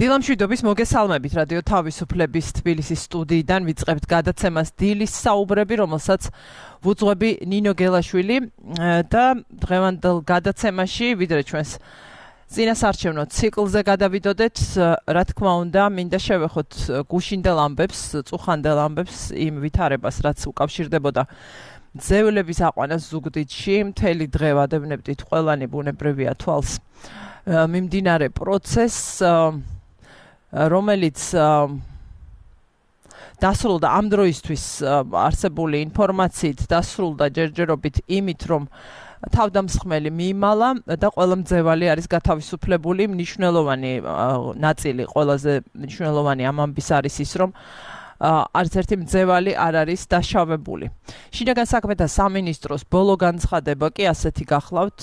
დილამშვიდობის მოგესალმებით რადიო თავისუფლების თბილისის სტუდიიდან ვიწყებთ გადაცემას დილის საუბრები, რომელსაც ვუძღვები ნინო გელაშვილი და დღევანდელ გადაცემაში ვიდრე ჩვენს წინასარჩევნო ციკლზე გადავიდოდეთ, რა თქმა უნდა, მინდა შევეხოთ გუშინდელ ამბებს, წუხანდელ ამბებს იმ ვითარებას, რაც უკავშირდებოდა ძევლების აყვანას ზუგდიდში, მთელი დღე ვადევნებდით ყველანი ბუნებრივია თვალს მიმდინარე პროცესს, რომელიც დასრულდა ამ დროისთვის არსებული ინფორმაციით, დასრულდა ჯერჯერობით იმით, რომ თავდამსხმელი მიიმალა და ყველა მძევალი არის გათავისუფლებული. მნიშვნელოვანი ნაწილი, ყველაზე მნიშვნელოვანი ამ ამბის არის ის, რომ არც ერთი მძევალი არ არის დაშავებული. შინაგან საქმეთა სამინისტროს ბოლო განცხადება კი ასეთი გახლავთ,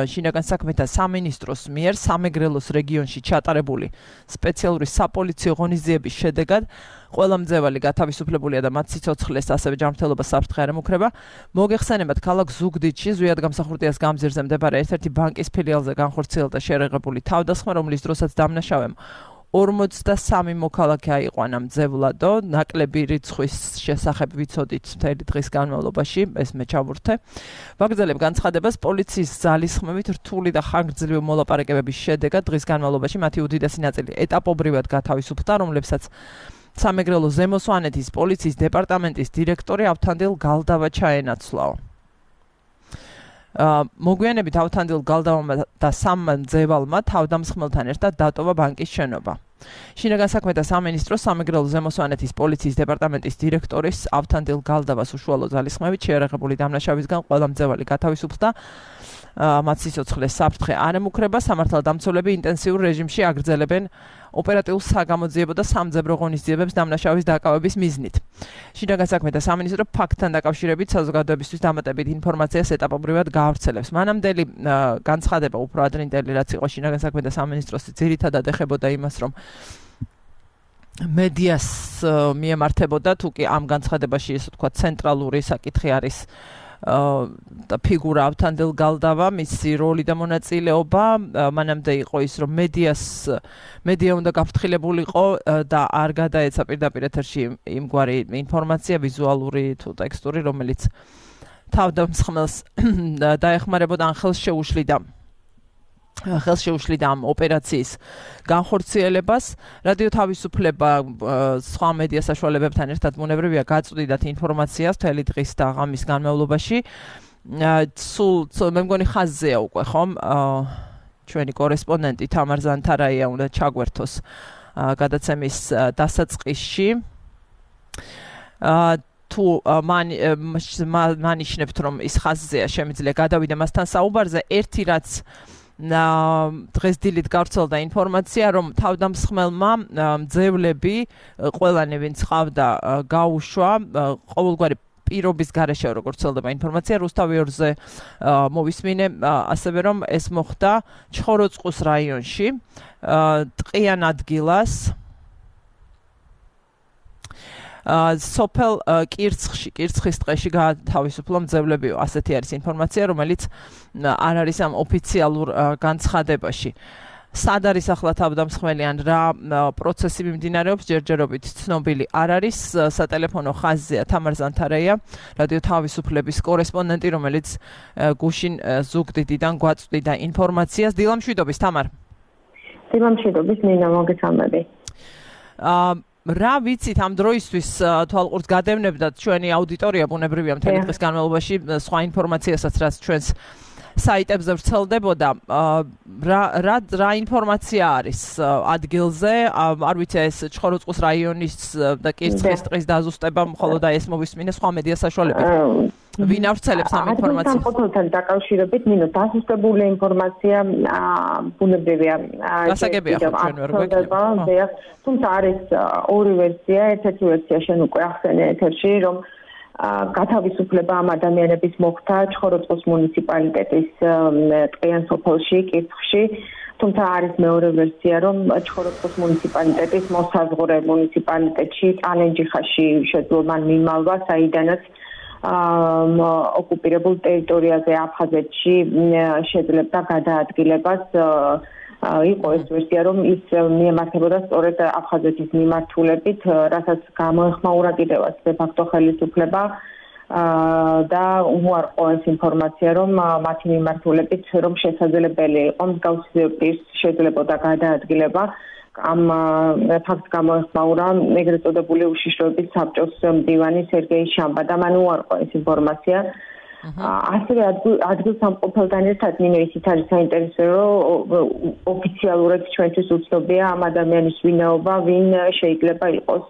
შინაგან საქმეთა სამინისტროს მიერ სამეგრელოს რეგიონში ჩატარებული სპეციალური საპოლიციო ღონისძიების შედეგად ყველა მძევალი გათავისუფლებულია და მათ სიცოცხლეს ასევე ჯანმრთელობას საფრთხე არ ემუქრება. მოგეხსენებათ, ქალაქ ზუგდიდში ზვიადგამსახურდიას გამზირზე მდებარე ერთ-ერთი ბანკის ფილიალზე განხორციელდა შერეღებული თავდასხმა, რომლის დროსაც დამნაშავემ 43 მოქალაქე აიყვანა მძევლადო, ნაკლები რიცხვის შესახებ ვიცოდით მთელი დღის განმავლობაში, ეს მე ჩავურთე. ვაგრძელებ განცხადებას, პოლიციის ძალისხმევით რთული და ხანგრძლივი მოლაპარაკებების შედეგად დღის განმავლობაში მათი უდიდესი ნაწილი ეტაპობრივად გათავისუფლდა, რომლებსაც სამეგრელო ზემო სვანეთის პოლიციის დეპარტამენტის დირექტორი ავთანდილ გალდავა ჩაენაცვლაო. მოგვიანებით ავთანდილ გალდავმა და სამმა მძევალმა თავდამსხმელთან ერთად დატოვა ბანკის შენობა. შინაგან საქმეთა სამინისტროს სამეგრელო ზემო სვანეთის პოლიციის დეპარტამენტის დირექტორის ავთანდილ გალდავას უშუალო ძალისხმევით შეერაღებული დამნაშავისგან ყველა მძევალი გათავისუფლდა. მათ სიცოცხლეს საფრთხე არ ემუქრება. სამართალდამცველები ინტენსიურ რეჟიმში აგრძელებენ ოპერატიულ საგამოძიებო და სამძებრო ღონისძიებებს დამნაშავის დაკავების მიზნით. შინაგან საქმეთა სამინისტრო ფაქტთან დაკავშირებით საზოგადოებისთვის დამატებით ინფორმაციას ეტაპობრივად გაავრცელებს. მანამდელი განცხადება უფრო ადრინდელი, რაც იყო შინაგან საქმეთა სამინისტროს, ძირითადად ეხებოდა იმას, რომ მედიას მიემართებოდა, თუ კი ამ განცხადებაში ესე თქვა ცენტრალური საკითხი არის და ფიგურა ავთანდილ გალდავა, მისი როლი და მონაწილეობა. მანამდე იყო ის, რომ მედია უნდა გაფრთხილებულიყო და არ გადაეცა პირდაპირ ეთერში იმგვარი ინფორმაცია, ვიზუალური თუ ტექსტური, რომელიც თავდამსხმელს დაეხმარებოდა ან ხელს შეუშლიდა ამ ოპერაციის განხორციელებას. რადიო თავისუფლება სხვა მედია საშუალებებთან ერთად ბუნებრივია გაწვდიდათ ინფორმაციას მთელი დღის და ღამის განმავლობაში. მე მგონი ხაზზეა უკვე, ხომ? ჩვენი კორესპონდენტი თამარ ზანთარაია უნდა ჩაგვერთოს გადაცემის დასაწყისში. თუ მანიშნებთ, რომ ის ხაზზეა, შემიძლია გადავიდე მასთან საუბარზე. ერთი რაც დღეს დილით გავრცელდა ინფორმაცია, რომ თავდამსხმელმა მძევლები, ყველანი ვინც ყავდა, გაუშვა ყოველგვარი პირობის გარეშე, როგორც ვრცელდება ინფორმაცია, რუსთავიორზე მოვისმინე, ასევე რომ ეს მოხდა ჩხოროწყუს რაიონში, ტყიან ადგილას, სოფელ კირცხის ტყეში გათავისუფლო მძევლებიო. ასეთი არის ინფორმაცია, რომელიც არ არის ამ ოფიციალურ განცხადებაში. სად არის ახლა თავდამსხმელი ან რა პროცესი მიმდინარეობს, ჯერჯერობით ცნობილი არ არის. სატელეფონო ხაზზეა თამარ ზანთარაია, რადიო თავისუფლების კორესპონდენტი, რომელიც გუშინ ზუგდიდიდან გვაწვდიდა ინფორმაციას. დილამშვიდობის, თამარ. დილამშვიდობის, ნინა, მოგესალმები. რა ვიცით ამ დროისთვის, თვალყურს გადევნებდათ ჩვენი აუდიტორია ბუნებრივია მთელი დღის განმავლობაში სხვა ინფორმაციასაც, რაც ჩვენს საიტებზე ვრცელდებოდა. რა ინფორმაცია არის ადგილზე? არ ვიცი, ეს ჩხოროწყუს რაიონის და კირცხის ტყის დაზუსტება მხოლოდ ეს მოვისმინე სხვა მედია საშუალებით. ვინ ავრცელებს ამ ინფორმაციას? სამყაროსთან დაკავშირებით, ნინო, დაზუსტებული ინფორმაცია ბუნებრივია. გასაგებია ხო ჩვენ ვერ გვექნება. თუმცა არის ორი ვერსია, ერთ-ერთი ვერსია შენ უკვე ახსენე ეთერში, რომ გათავისუფლება ამ ადამიანების მოხდა ჩხოროწყუს მუნიციპალიტეტის ტყიან სოფელში, კირცხში. თუმცა არის მეორე ვერსია, რომ ჩხოროწყუს მუნიციპალიტეტის მოსაზღვრე მუნიციპალიტეტში, ტალენჯიხაში შეძლო მან მიმალვა, საიდანაც ოკუპირებულ ტერიტორიაზე აფხაზეთში შეძლებდა გადაადგილებას იყო ეს ვერსია, რომ ის მიემართებოდა სწორედ აფხაზეთის მიმართულებით, რასაც გამოეხმაურა კიდევაც დე-ფაქტო ხელისუფლება და უარყო ეს ინფორმაცია, რომ მათი მიმართულებით რომ შესაძლებელი იყო მსგავსი პირს შეიძლებოდა გადაადგილება. ამ ფაქტს გამოეხმაურა ეგრეთ წოდებული უშიშროების საბჭოს მდივანი სერგეი შამბა და მან უარყო ეს ინფორმაცია. ასევე ადგილსამყოფელთან ერთად ნინო ისიც არის საინტერესო, რომ ოფიციალურად ჩვენთვის უცნობია ამ ადამიანის ვინაობა, ვინ შეიძლება იყოს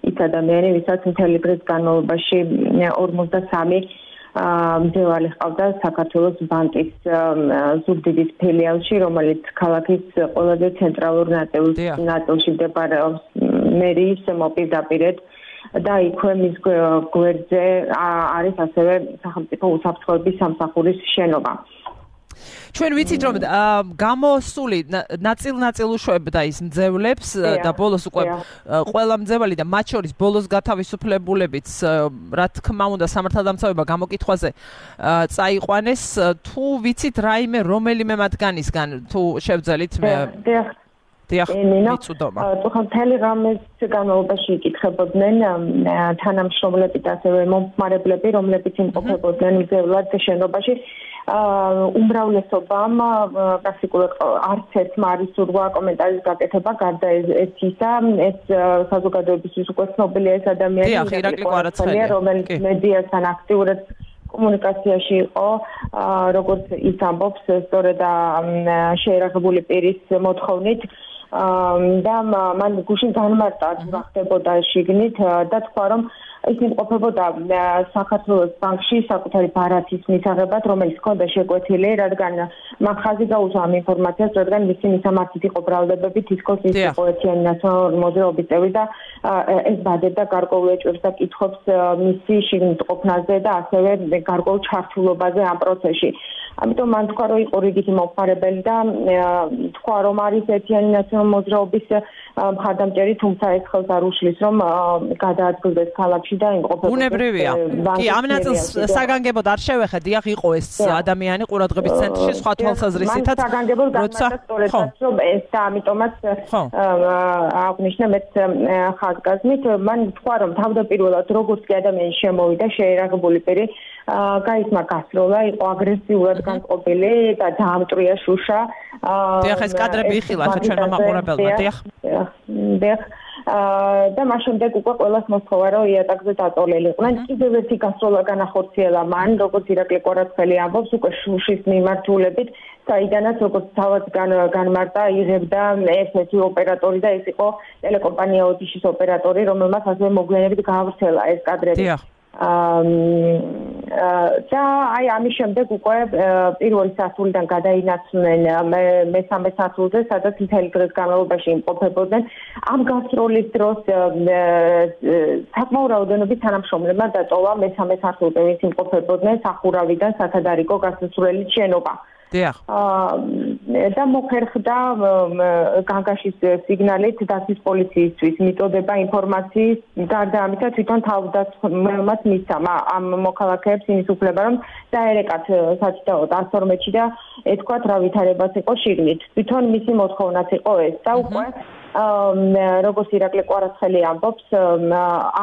ის ადამიანი, ვისაც მთელი დღის განმავლობაში 53 მძევალი ჰყავდა საქართველოს ბანკის ზუგდიდის ფილიალში, რომელიც ქალაქის ყველაზე ცენტრალურ ნაწილში მდებარეობს მერიის მოპირდაპირედ და იქვე მის გვერდზე არის ასევე სახელმწიფო უსაფრთხოების სამსახურის შენობა. ჩვენ ვიცით რომ გამოსული ნაწილ უშვებდა ის მძევლებს და ბოლოს უკვე ყველა მძევალი და მათ შორის ბოლოს გათავისუფლებულებიც რა თქმა უნდა სამართალდამცავება გამოკითხვაზე წაიყვანეს თუ ვიცით რაიმე რომელიმე მათგანისგან თუ შევძელით მთელი რამეს განმავლობაში იკითხებოდნენ თანამშრომლები და ასევე მომხმარებლები, რომლებიც იმყოფებოდნენ მძევლად შენობაში. უმრავლესობამ პრაქტიკულად არც ერთმა არ ისურვა კომენტარის გაკეთება, გარდა ისა, ეს საზოგადოებისთვის უკვე ცნობილია ეს ადამიანი, რომელიც მედიასთან აქტიურად კომუნიკაციაში იყო, როგორც ის ამბობს, სწორედ შეერაღებული პირის მოთხოვნით. და მან გუშინ განმარტა რა ხდებოდა შიგნით და თქვა რომ ის იმყოფებოდა საქართველოს ბანკში საკუთარი ბარათის მისაღებად, რომელიც ჰქონდა შეკვეთილი, რადგან მან ხაზი გაუსვა ამ ინფორმაციას, რადგან მისი მისამართით იყო ბრალდებები თითქოს ის იყო ერთიანი ნაციონალური მოძრაობის წევრი და ეს ბადებდა გარკვეულ ეჭვებს და კითხვებს მისი შიგნით ყოფნაზე და ასევე გარკვეულ ჩართულობაზე ამ პროცესში. ამიტომ მან თქვა, რომ იყო რიგითი მომხმარებელი და თქვა, რომ არის ერთიანი ნაციონალური მოძრაობის მხარდამჭერი, თუმცა ეს ხელს არ უშლის, რომ გადაადგილდეს ქალაქში და იმყოფებოდეს. უნებრივია. კი, ამ ნაწილს საგანგებოდ არ შევეხე, დიახ, იყო ეს ადამიანი ყურადღების ცენტრში, სხვა თვალსაზრისითაც. საგანგებოდ გამართა სწორედაც, რომ ეს და ამიტომაც აღნიშნა მეც ხაზგასმით, მან თქვა, რომ თავდაპირველად როგორც კი ადამიანი შემოვიდა შეერაღებული პირი, გაისმა გასროლა, იყო აგრესიულად განწყობილი და დაამტრია შუშა. დიახ, ეს კადრები იხილა ჩვენმა მაყურებელმა, დიახ. და მას შემდეგ უკვე ყველას მოსთხოვა, რომ იატაკზე დაწოლელიყვნენ. კიდევ ერთი გასროლა განახორციელა მან, როგორც ირაკლი კვარაცხელი ამბობს, უკვე შუშის მიმართულებით, საიდანაც როგორც თავად განმარტა, იღებდა ერთ-ერთი ოპერატორი და ეს იყო ტელეკომპანია ოდიშის ოპერატორი, რომელმაც ასევე მოგვიანებით გაავრცელა ეს კადრები. და აი ამის შემდეგ უკვე პირველი სართულიდან გადაინაცვლნენ მესამე სართულზე, სადაც მთელი დღის განმავლობაში იმყოფებოდნენ. ამ გასროლის დროს საკმაო რაოდენობით თანამშრომლებმა დატოვა მესამე სართულზე, ვინც იმყოფებოდნენ სახურავიდან სათადარიგო გასასვლელი შენობა. და მოხერხდა განგაშის სიგნალით დაცვის პოლიციისთვის მიწოდება ინფორმაციის გარდა ამისა თვითონ თავდაცვამაც მისცა ამ მოქალაქეებს იმის უფლება რომ დაერეკათ სათითაოდ 112-ში და ეთქვათ რა ვითარებას იყო შიგნით. თვითონ მისი მოთხოვნაც იყო ეს და უკვე როგორც ირაკლი კვარაცხელი ამბობს,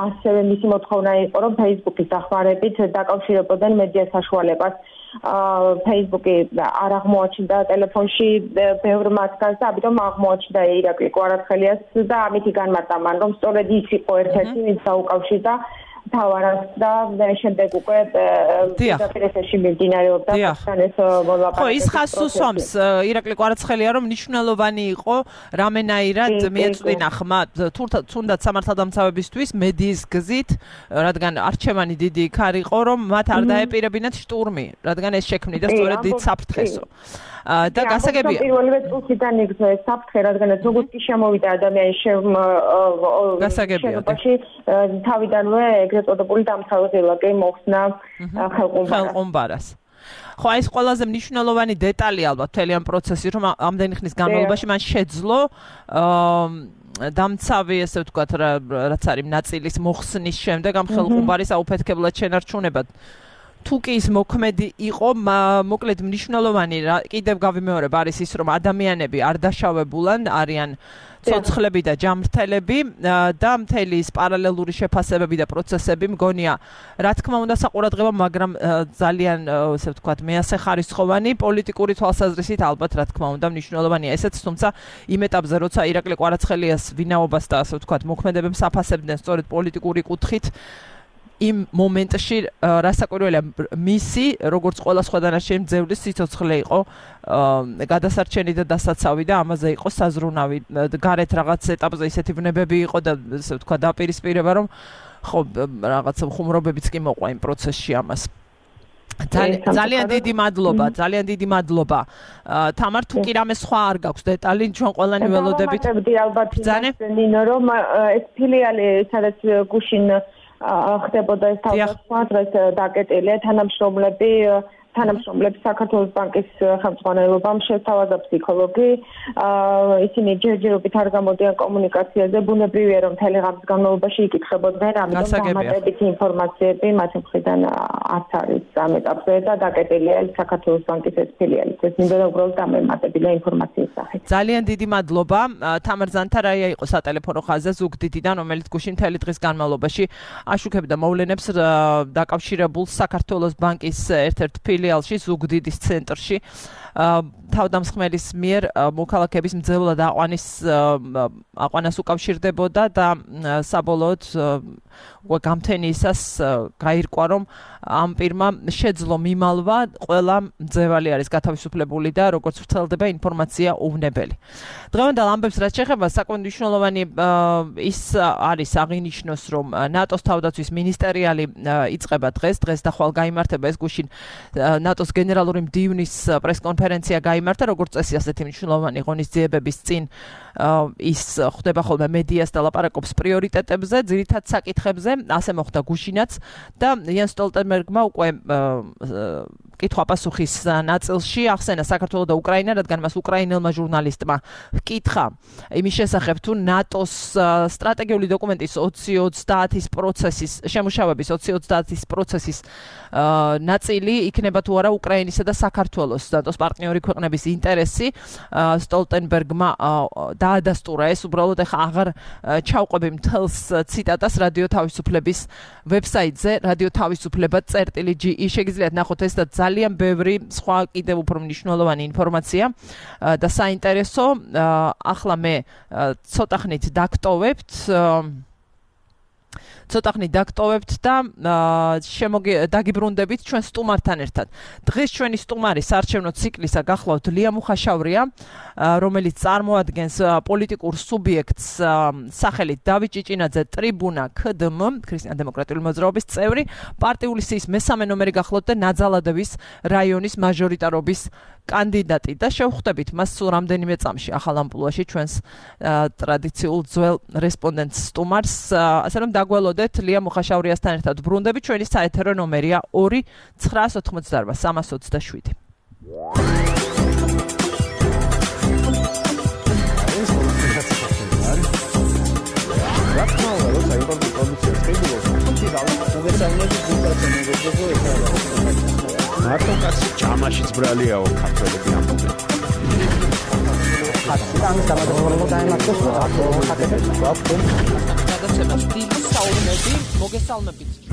ასევე მისი მოთხოვნა იყო რომ Facebook-ის დახმარებით დაკავშირებოდნენ მედია საშუალებას. Facebook-ი არ აღმოაჩნდა ტელეფონში ბევრ მათგანს და ამიტომ აღმოაჩნდა ირაკლი კვარაცხელიას და ამითი განმარტა მან რომ სწორედ ის იყო ერთ-ერთი ვინც დაუკავშირდა თავარას და შემდეგ უკვე დაპირისებში მიმდინარეობდა ეს ხო ის ხაზს უსვამს ირაკლი კვარაცხელია რომ მნიშვნელოვანი იყო რამენაირად მიეწვინა ხმა თუნდაც სამართალდამცავებისთვის მედიის გზით რადგან არჩევანი დიდი იქ არ იყო რომ მათ არ დაეპირებინათ შტურმი რადგან ეს შექმნიდა სწორედ დიდ საფრთხესო და გასაგებია პირველივე წუთიდან იგრძნო ეს საფრთხე რადგანაც როგორც კი შემოვიდა ადამიანი შენობაში თავიდანვე ეგრეთ წოდებული დამცავი ლაკი მოხსნა ხელყუმბარას ხო ეს ყველაზე მნიშვნელოვანი დეტალი ალბათ მთელი ამ პროცესში რომ ამდენი ხნის განმავლობაში მან შეძლო დამცავი ესე ვთქვათ რაც არის ნაწილის მოხსნის შემდეგ ამ ხელყუმბარის აუფეთქებლად შენარჩუნებად თუ კი ის მოქმედი იყო, მოკლედ მნიშვნელოვანი კიდევ გავიმეორებ არის ის, რომ ადამიანები არ დაშავებულან, არიან ცოცხლები და ჯამრთელები და მთელი ის პარალელური შეფასებები და პროცესები მგონია, რა თქმა უნდა საყურადღებო, მაგრამ ძალიან, ასე ვთქვათ, მეასეხარისხოვანი პოლიტიკური თვალსაზრისით ალბათ, რა თქმა უნდა, მნიშვნელოვანია ესეც, თუმცა იმ ეტაპზე, როცა ირაკლი კვარაცხელიას ვინაობას და ასე ვთქვათ, მოქმედებებს აფასებდნენ სწორედ პოლიტიკური კუთხით, იმ მომენტში რასაკვირველია მისი როგორც ყველა სხვა დანარჩენი მძევლის სიცოცხლე იყო გადასარჩენი და დასაცავი და ამაზე იყო საზრუნავი გარეთ რაღაც ეტაპზე ისეთი ვნებები იყო და ასე ვთქვა დაპირისპირება რომ ხო რაღაც ხუმრობებიც კი მოყვა იმ პროცესში ამას ძალიან დიდი მადლობა თამარ თუ კი რამე სხვა არ გაქვს დეტალი ჩვენ ყველანი ველოდებით ალბათ ნინო რომ ეს ფილიალი სადაც გუშინ ხდებოდა ეს თავდასხმა დღეს დაკეტილია თანამშრომლებს საქართველოს ბანკის ხელმძღვანელობამ შეთავაზა ფსიქოლოგი ისინი ჯერჯერობით არ გამოდიან კომუნიკაციაზე ბუნებრივია რომ თელეგრამის განმავლობაში იკითხებოდნენ ამიტომ დამატებითი ინფორმაციები მათ მხრიდან არც არის ამ ეტაპზე და დაკეტილია საქართველოს ბანკის ეს ფილიალი ეს მინდა უბრალოდ დამემატებინა ინფორმაციის სახით ძალიან დიდი მადლობა თამარ ზანთარაია იყო სატელეფონო ხაზზე ზუგდიდიდან რომელიც გუშინ მთელი დღის განმავლობაში აშუქებდა მოვლენებს დაკავშირებულ საქართველოს ბანკის ერთ-ერთ ფილიალში ზუგდიდის ცენტრში თავდამსხმელის მიერ მოქალაქეების მძევლად აყვანას უკავშირდებოდა და საბოლოოდ გამთენიისას გაირკვა რომ ამ პირმა შეძლო მიმალვა ყველა მძევალი არის გათავისუფლებული და როგორც ვრცელდება ინფორმაცია უვნებელი. დღევანდელ ამბებს რაც შეეხება საკმაოდ მნიშვნელოვანი ის არის აღინიშნოს რომ ნატოს თავდაცვის მინისტერიალი იწყება დღეს და ხვალ გაიმართება ეს გუშინ ნატოს გენერალური მდივნის პრესკონფერენცია გაიმართა როგორც წესი ასეთი მნიშვნელოვანი ღონისძიებების წინ ის ხდება ხოლმე მედიას და ლაპარაკობს პრიორიტეტებზე, ძირითად საკითხებზე, ასე მოხდა გუშინაც და იან სტოლტენბერგმა უკვე კითხვა-პასუხის ნაწილში ახსენა საქართველო და უკრაინა, რადგან მას უკრაინელმა ჟურნალისტმა ჰკითხა იმის შესახებ თუ ნატოს სტრატეგიული დოკუმენტის 2030-ის პროცესის შემუშავების 2030-ის პროცესის ნაწილი იქნება თუ არა უკრაინისა და საქართველოს ნატოს პარტნიორი ქვეყნების ინტერესი სტოლტენბერგმა დაადასტურა ეს უბრალოდ ახლა აღარ ჩავყვები მთელს ციტატას რადიო თავისუფლების ვებსაიტზე radio-tavisupleba.ge შეგიძლიათ ნახოთ ეს და ძალიან ბევრი სხვა კიდევ უფრო მნიშვნელოვანი ინფორმაცია და საინტერესო ახლა მე ცოტახნით დაგტოვებთ და დაგიბრუნდებით ჩვენ სტუმართან ერთად. დღეს ჩვენი სტუმარი საარჩევნო ციკლისა გახლავთ ლია მუხაშავრია, რომელიც წარმოადგენს პოლიტიკურ სუბიექტს სახელით დავით ჭიჭინაძე ტრიბუნა KDM, ქრისტიან-დემოკრატიული მოძრაობის წევრი, პარტიული სიის მესამე ნომერი გახლავთ და ნაძალადევის რაიონის მაჟორიტარობის კანდიდატი და შევხვდებით მას სულ რამდენიმე წამში ახალ ამპლუაში ჩვენს ტრადიციულ ძველ რესპონდენტს სტუმარს, ასე რომ დაგველოდეთ ლია მუხაშავრიასთან ერთად ბრუნდები ჩვენი საეთერო ნომერია 2-988-327. მარტო კაცი ჭამაშიც ბრალიაო ქართველები ამბობენ.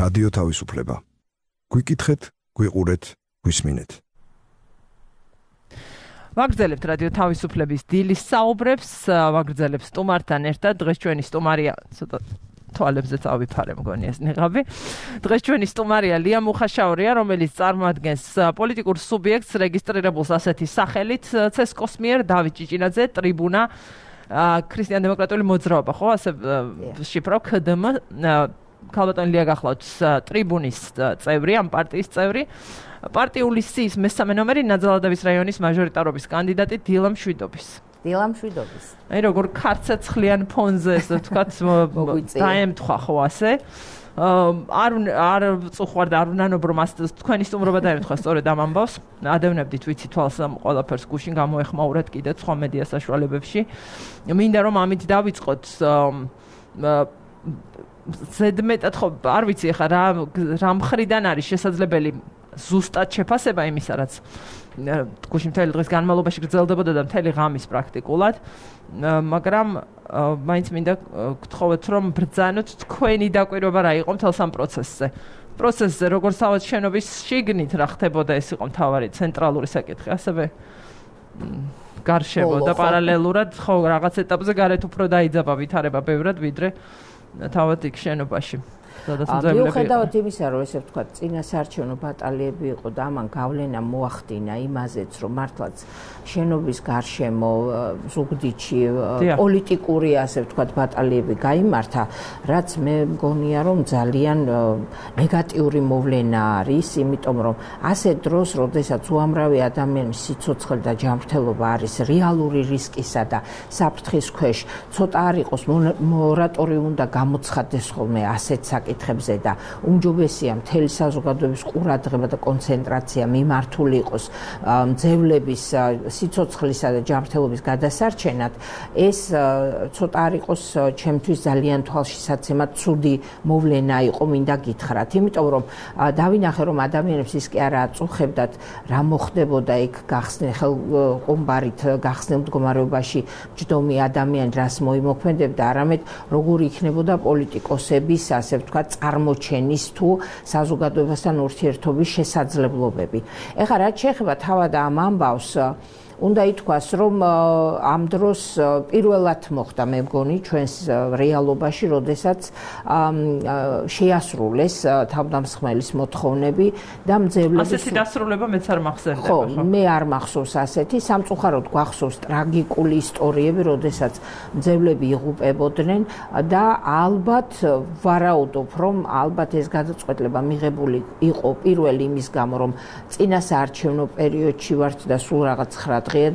რადიო თავისუფლება. გვიკითხეთ, გვიყურეთ, გვისმინეთ. ვაგრძელებთ რადიო თავისუფლების დილის საუბრებს, ვაგრძელებთ სტუმართან ერთად. დღეს ჩვენი სტუმარია ცოტა თვალებზე წავიფარე მგონი ეს ნიღაბი. დღეს ჩვენი სტუმარია ლია მუხაშავრია, რომელიც წარმოადგენს პოლიტიკურ სუბიექტს რეგისტრირებულს ასეთი სახელით ცესკოს მიერ დავით ჭიჭინაძე ტრიბუნა ქრისტიან-დემოკრატიული მოძრაობა, ხო? ასე შიფრავ KDM ქალბატონი ლია გახლავთ ტრიბუნის წევრი, ამ პარტიის წევრი. პარტიული სიის მესამე ნომერი ნაძალადევის რაიონის მაჟორიტარობის კანდიდატი დილა მშვიდობის. აი როგორ ქარცეცხლიან ფონზე ესე ვთქვათ დაემთხვა ხო ასე არ წუხვარ და არ უნანობ რომ თქვენი სტუმრობა დაემთხვა სწორედ ამ ამბავს ადევნებდით ვიცი თვალს ამ ყველაფერს გუშინ გამოეხმაურეთ კიდე სხვა მედია საშუალებებში მინდა რომ ამით დავიწყოთ ზედმეტად ხო არ ვიცი ახლა რა მხრიდან არის შესაძლებელი ზუსტად შეფასება იმისა, რაც გუშინ მთელი დღის განმავლობაში გრძელდებოდა და მთელი ღამის პრაქტიკულად, მაგრამ მაინც მინდა გთხოვეთ, რომ ბრძანოთ თქვენი დაკვირვება რა იყო მთელ სამ პროცესზე, როგორც თავად შენობის შიგნით რა ხდებოდა, ეს იყო მთავარი ცენტრალური საკითხი, ასევე გარშემო და პარალელურად ხო რაღაც ეტაპზე გარეთ უფრო დაიძაბა ვითარება ბევრად, ვიდრე თავად იქ შენობაში. მიუხედავად იმისა, რომ ესე ვთქვათ, წინასაარჩევნო ბატალიები იყო და ამან გავლენა მოახდინა იმაზეც, რომ მართლაც შენობის გარშემო ზუგდიდში პოლიტიკური, ასე ვთქვათ, ბატალიები გაიმართა, რაც მე მგონია, რომ ძალიან ნეგატიური მოვლენა არის, იმიტომ რომ ასე დროს, როდესაც უამრავი ადამიანის სიცოცხლე და ჯანმრთელობა არის რეალური რისკისა და საფრთხის ქვეშ, ცოტა არ იყოს მორატორიუმი უნდა გამოცხადდეს ხოლმე ასეთ საკითხებზე და უმჯობესია მთელი საზოგადოების ყურადღება და კონცენტრაცია მიმართული იყოს მძევლების სიცოცხლისა და ჯანმრთელობის გადასარჩენად, ეს ცოტა არ იყოს ჩემთვის ძალიან თვალშისაცემად ცუდი მოვლენა იყო, მინდა გითხრათ, იმიტომ რომ დავინახე, რომ ადამიანებს ის კი არა აწუხებდათ, რა მოხდებოდა იქ ხელყუმბარით გახსნილ მდგომარეობაში ჯდომი ადამიანი რას მოიმოქმედებდა, არამედ როგორი იქნებოდა პოლიტიკოსების, ასე ვთქვათ, წარმოჩენის თუ საზოგადოებასთან ურთიერთობის შესაძლებლობები. ეხლა რაც შეეხება თავად ამ ამბავს, უნდა ითქვას, რომ ამ დროს პირველად მოხდა მე მგონი ჩვენს რეალობაში, როდესაც შეასრულეს თავდამსხმელის მოთხოვნები და მძევლების ასეთი დასრულება მეც არ მახსენდება. ხო, მე არ მახსოვს ასეთი, სამწუხაროდ გვახსოვს ტრაგიკული ისტორიები, როდესაც მძევლები იღუპებოდნენ და ალბათ ვარაუდობ, რომ ალბათ ეს გადაწყვეტილება მიღებული იყო პირველი იმის გამო, რომ წინასაარჩევნო პერიოდში ვართ და სულ რაღაც 9 დღეა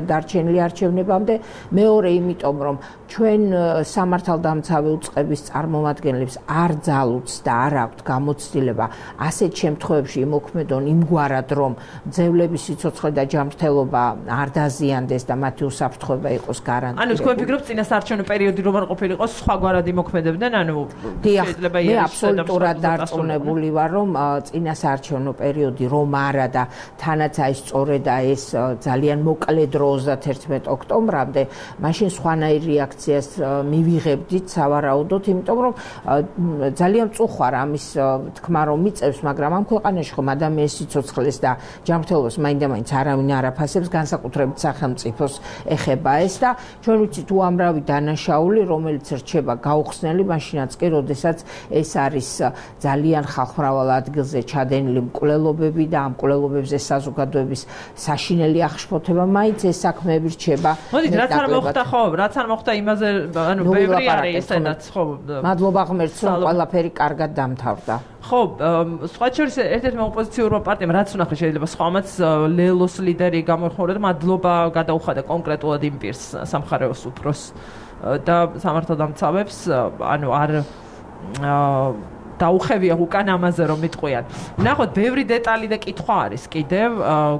დარჩენილი არჩევნებამდე, მეორე იმიტომ, რომ ჩვენ სამართალდამცავი უწყების წარმომადგენლებს არ ძალუძს და არ აქვთ გამოცდილება ასეთ შემთხვევებში იმოქმედონ იმგვარად, რომ მძევლების სიცოცხლე და ჯანმრთელობა არ დაზიანდეს და მათი უსაფრთხოება იყოს გარანტირებული. ანუ თქვენ ფიქრობთ წინასაარჩევნო პერიოდი რომ არ ყოფილიყო, სხვაგვარად იმოქმედებდნენ, ანუ შეიძლება მე აბსოლუტურად დარწმუნებული ვარ, რომ წინასაარჩევნო პერიოდი რომ არა და თანაც აი სწორედ ეს ძალიან მოკლე დრო 31 ოქტომბრამდე, მაშინ სხვანაირ რეაქციას მივიღებდით სავარაუდოდ, იმიტომ რომ ძალიან მწუხვარ ამის თქმა რომ მიწევს, მაგრამ ამ ქვეყანაში ხომ ადამიანის სიცოცხლეს და ჯანმრთელობას მაინდა-მაინც არავინ არ აფასებს, განსაკუთრებით სახელმწიფოს ეხება ეს და ჩვენ ვიცით უამრავი დანაშაული, რომელიც რჩება გაუხსნელი, მაშინაც კი, როდესაც ეს არის ძალიან ხალხმრავალ ადგილზე ჩადენილი მკვლელობები და ამ მკვლელობებზე საზოგადოების საშინელი აღშფოთება, მაინც ეს საქმეები რჩება. მოდით, რაც არ მოხდა, ხო, რაც არ მოხდა იმაზე, ანუ ბევრი არის ესედაც, ხო. მადლობა ღმერთს, რომ ყველაფერი კარგად დამთავრდა. ხო, სხვა შორის ერთ-ერთმა ოპოზიციურმა პარტიამ რაც უნახე, შეიძლება სხვამაც ლელოს ლიდერი გამოიხმაურა და მადლობა გადაუხადა კონკრეტულად იმ პირს, სამხარეოს უფროს და სამართალდამცავებს, ანუ არ დაუხევია უკან ამაზე რომ მიტყვიან. ნახოთ, ბევრი დეტალი და კითხვა არის კიდევ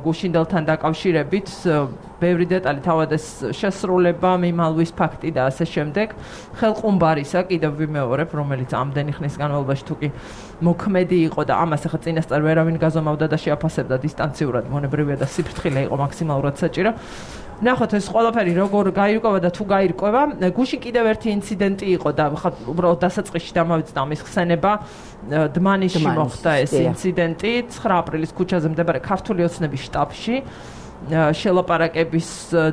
გუშინდელთან დაკავშირებით, ბევრი დეტალი, თავად ეს შესრულება, მიმალვის ფაქტი და ასე შემდეგ. ხელყუმბარისა კიდევ ვიმეორებ, რომელიც ამდენი ხნის განმავლობაში თუ კი მოქმედი იყო და ამას ახლა წინასწარ ვერავინ გაზომავდა და შეაფასებდა დისტანციურად, მონებრივია და სიფრთხილე იყო მაქსიმალურად საჭირო. ნახოთ, ეს ყველაფერი როგორ გაირკვევა და თუ გაირკვევა. გუშინ კიდევ ერთი ინციდენტი იყო და უბრალოდ დასაწყისში დამავიწყდა ამის ხსენება. დმანისში მოხდა ეს ინციდენტი 9 აპრილის ქუჩაზე მდებარე ქართული ოცნების შტაბში. შელაპარაკების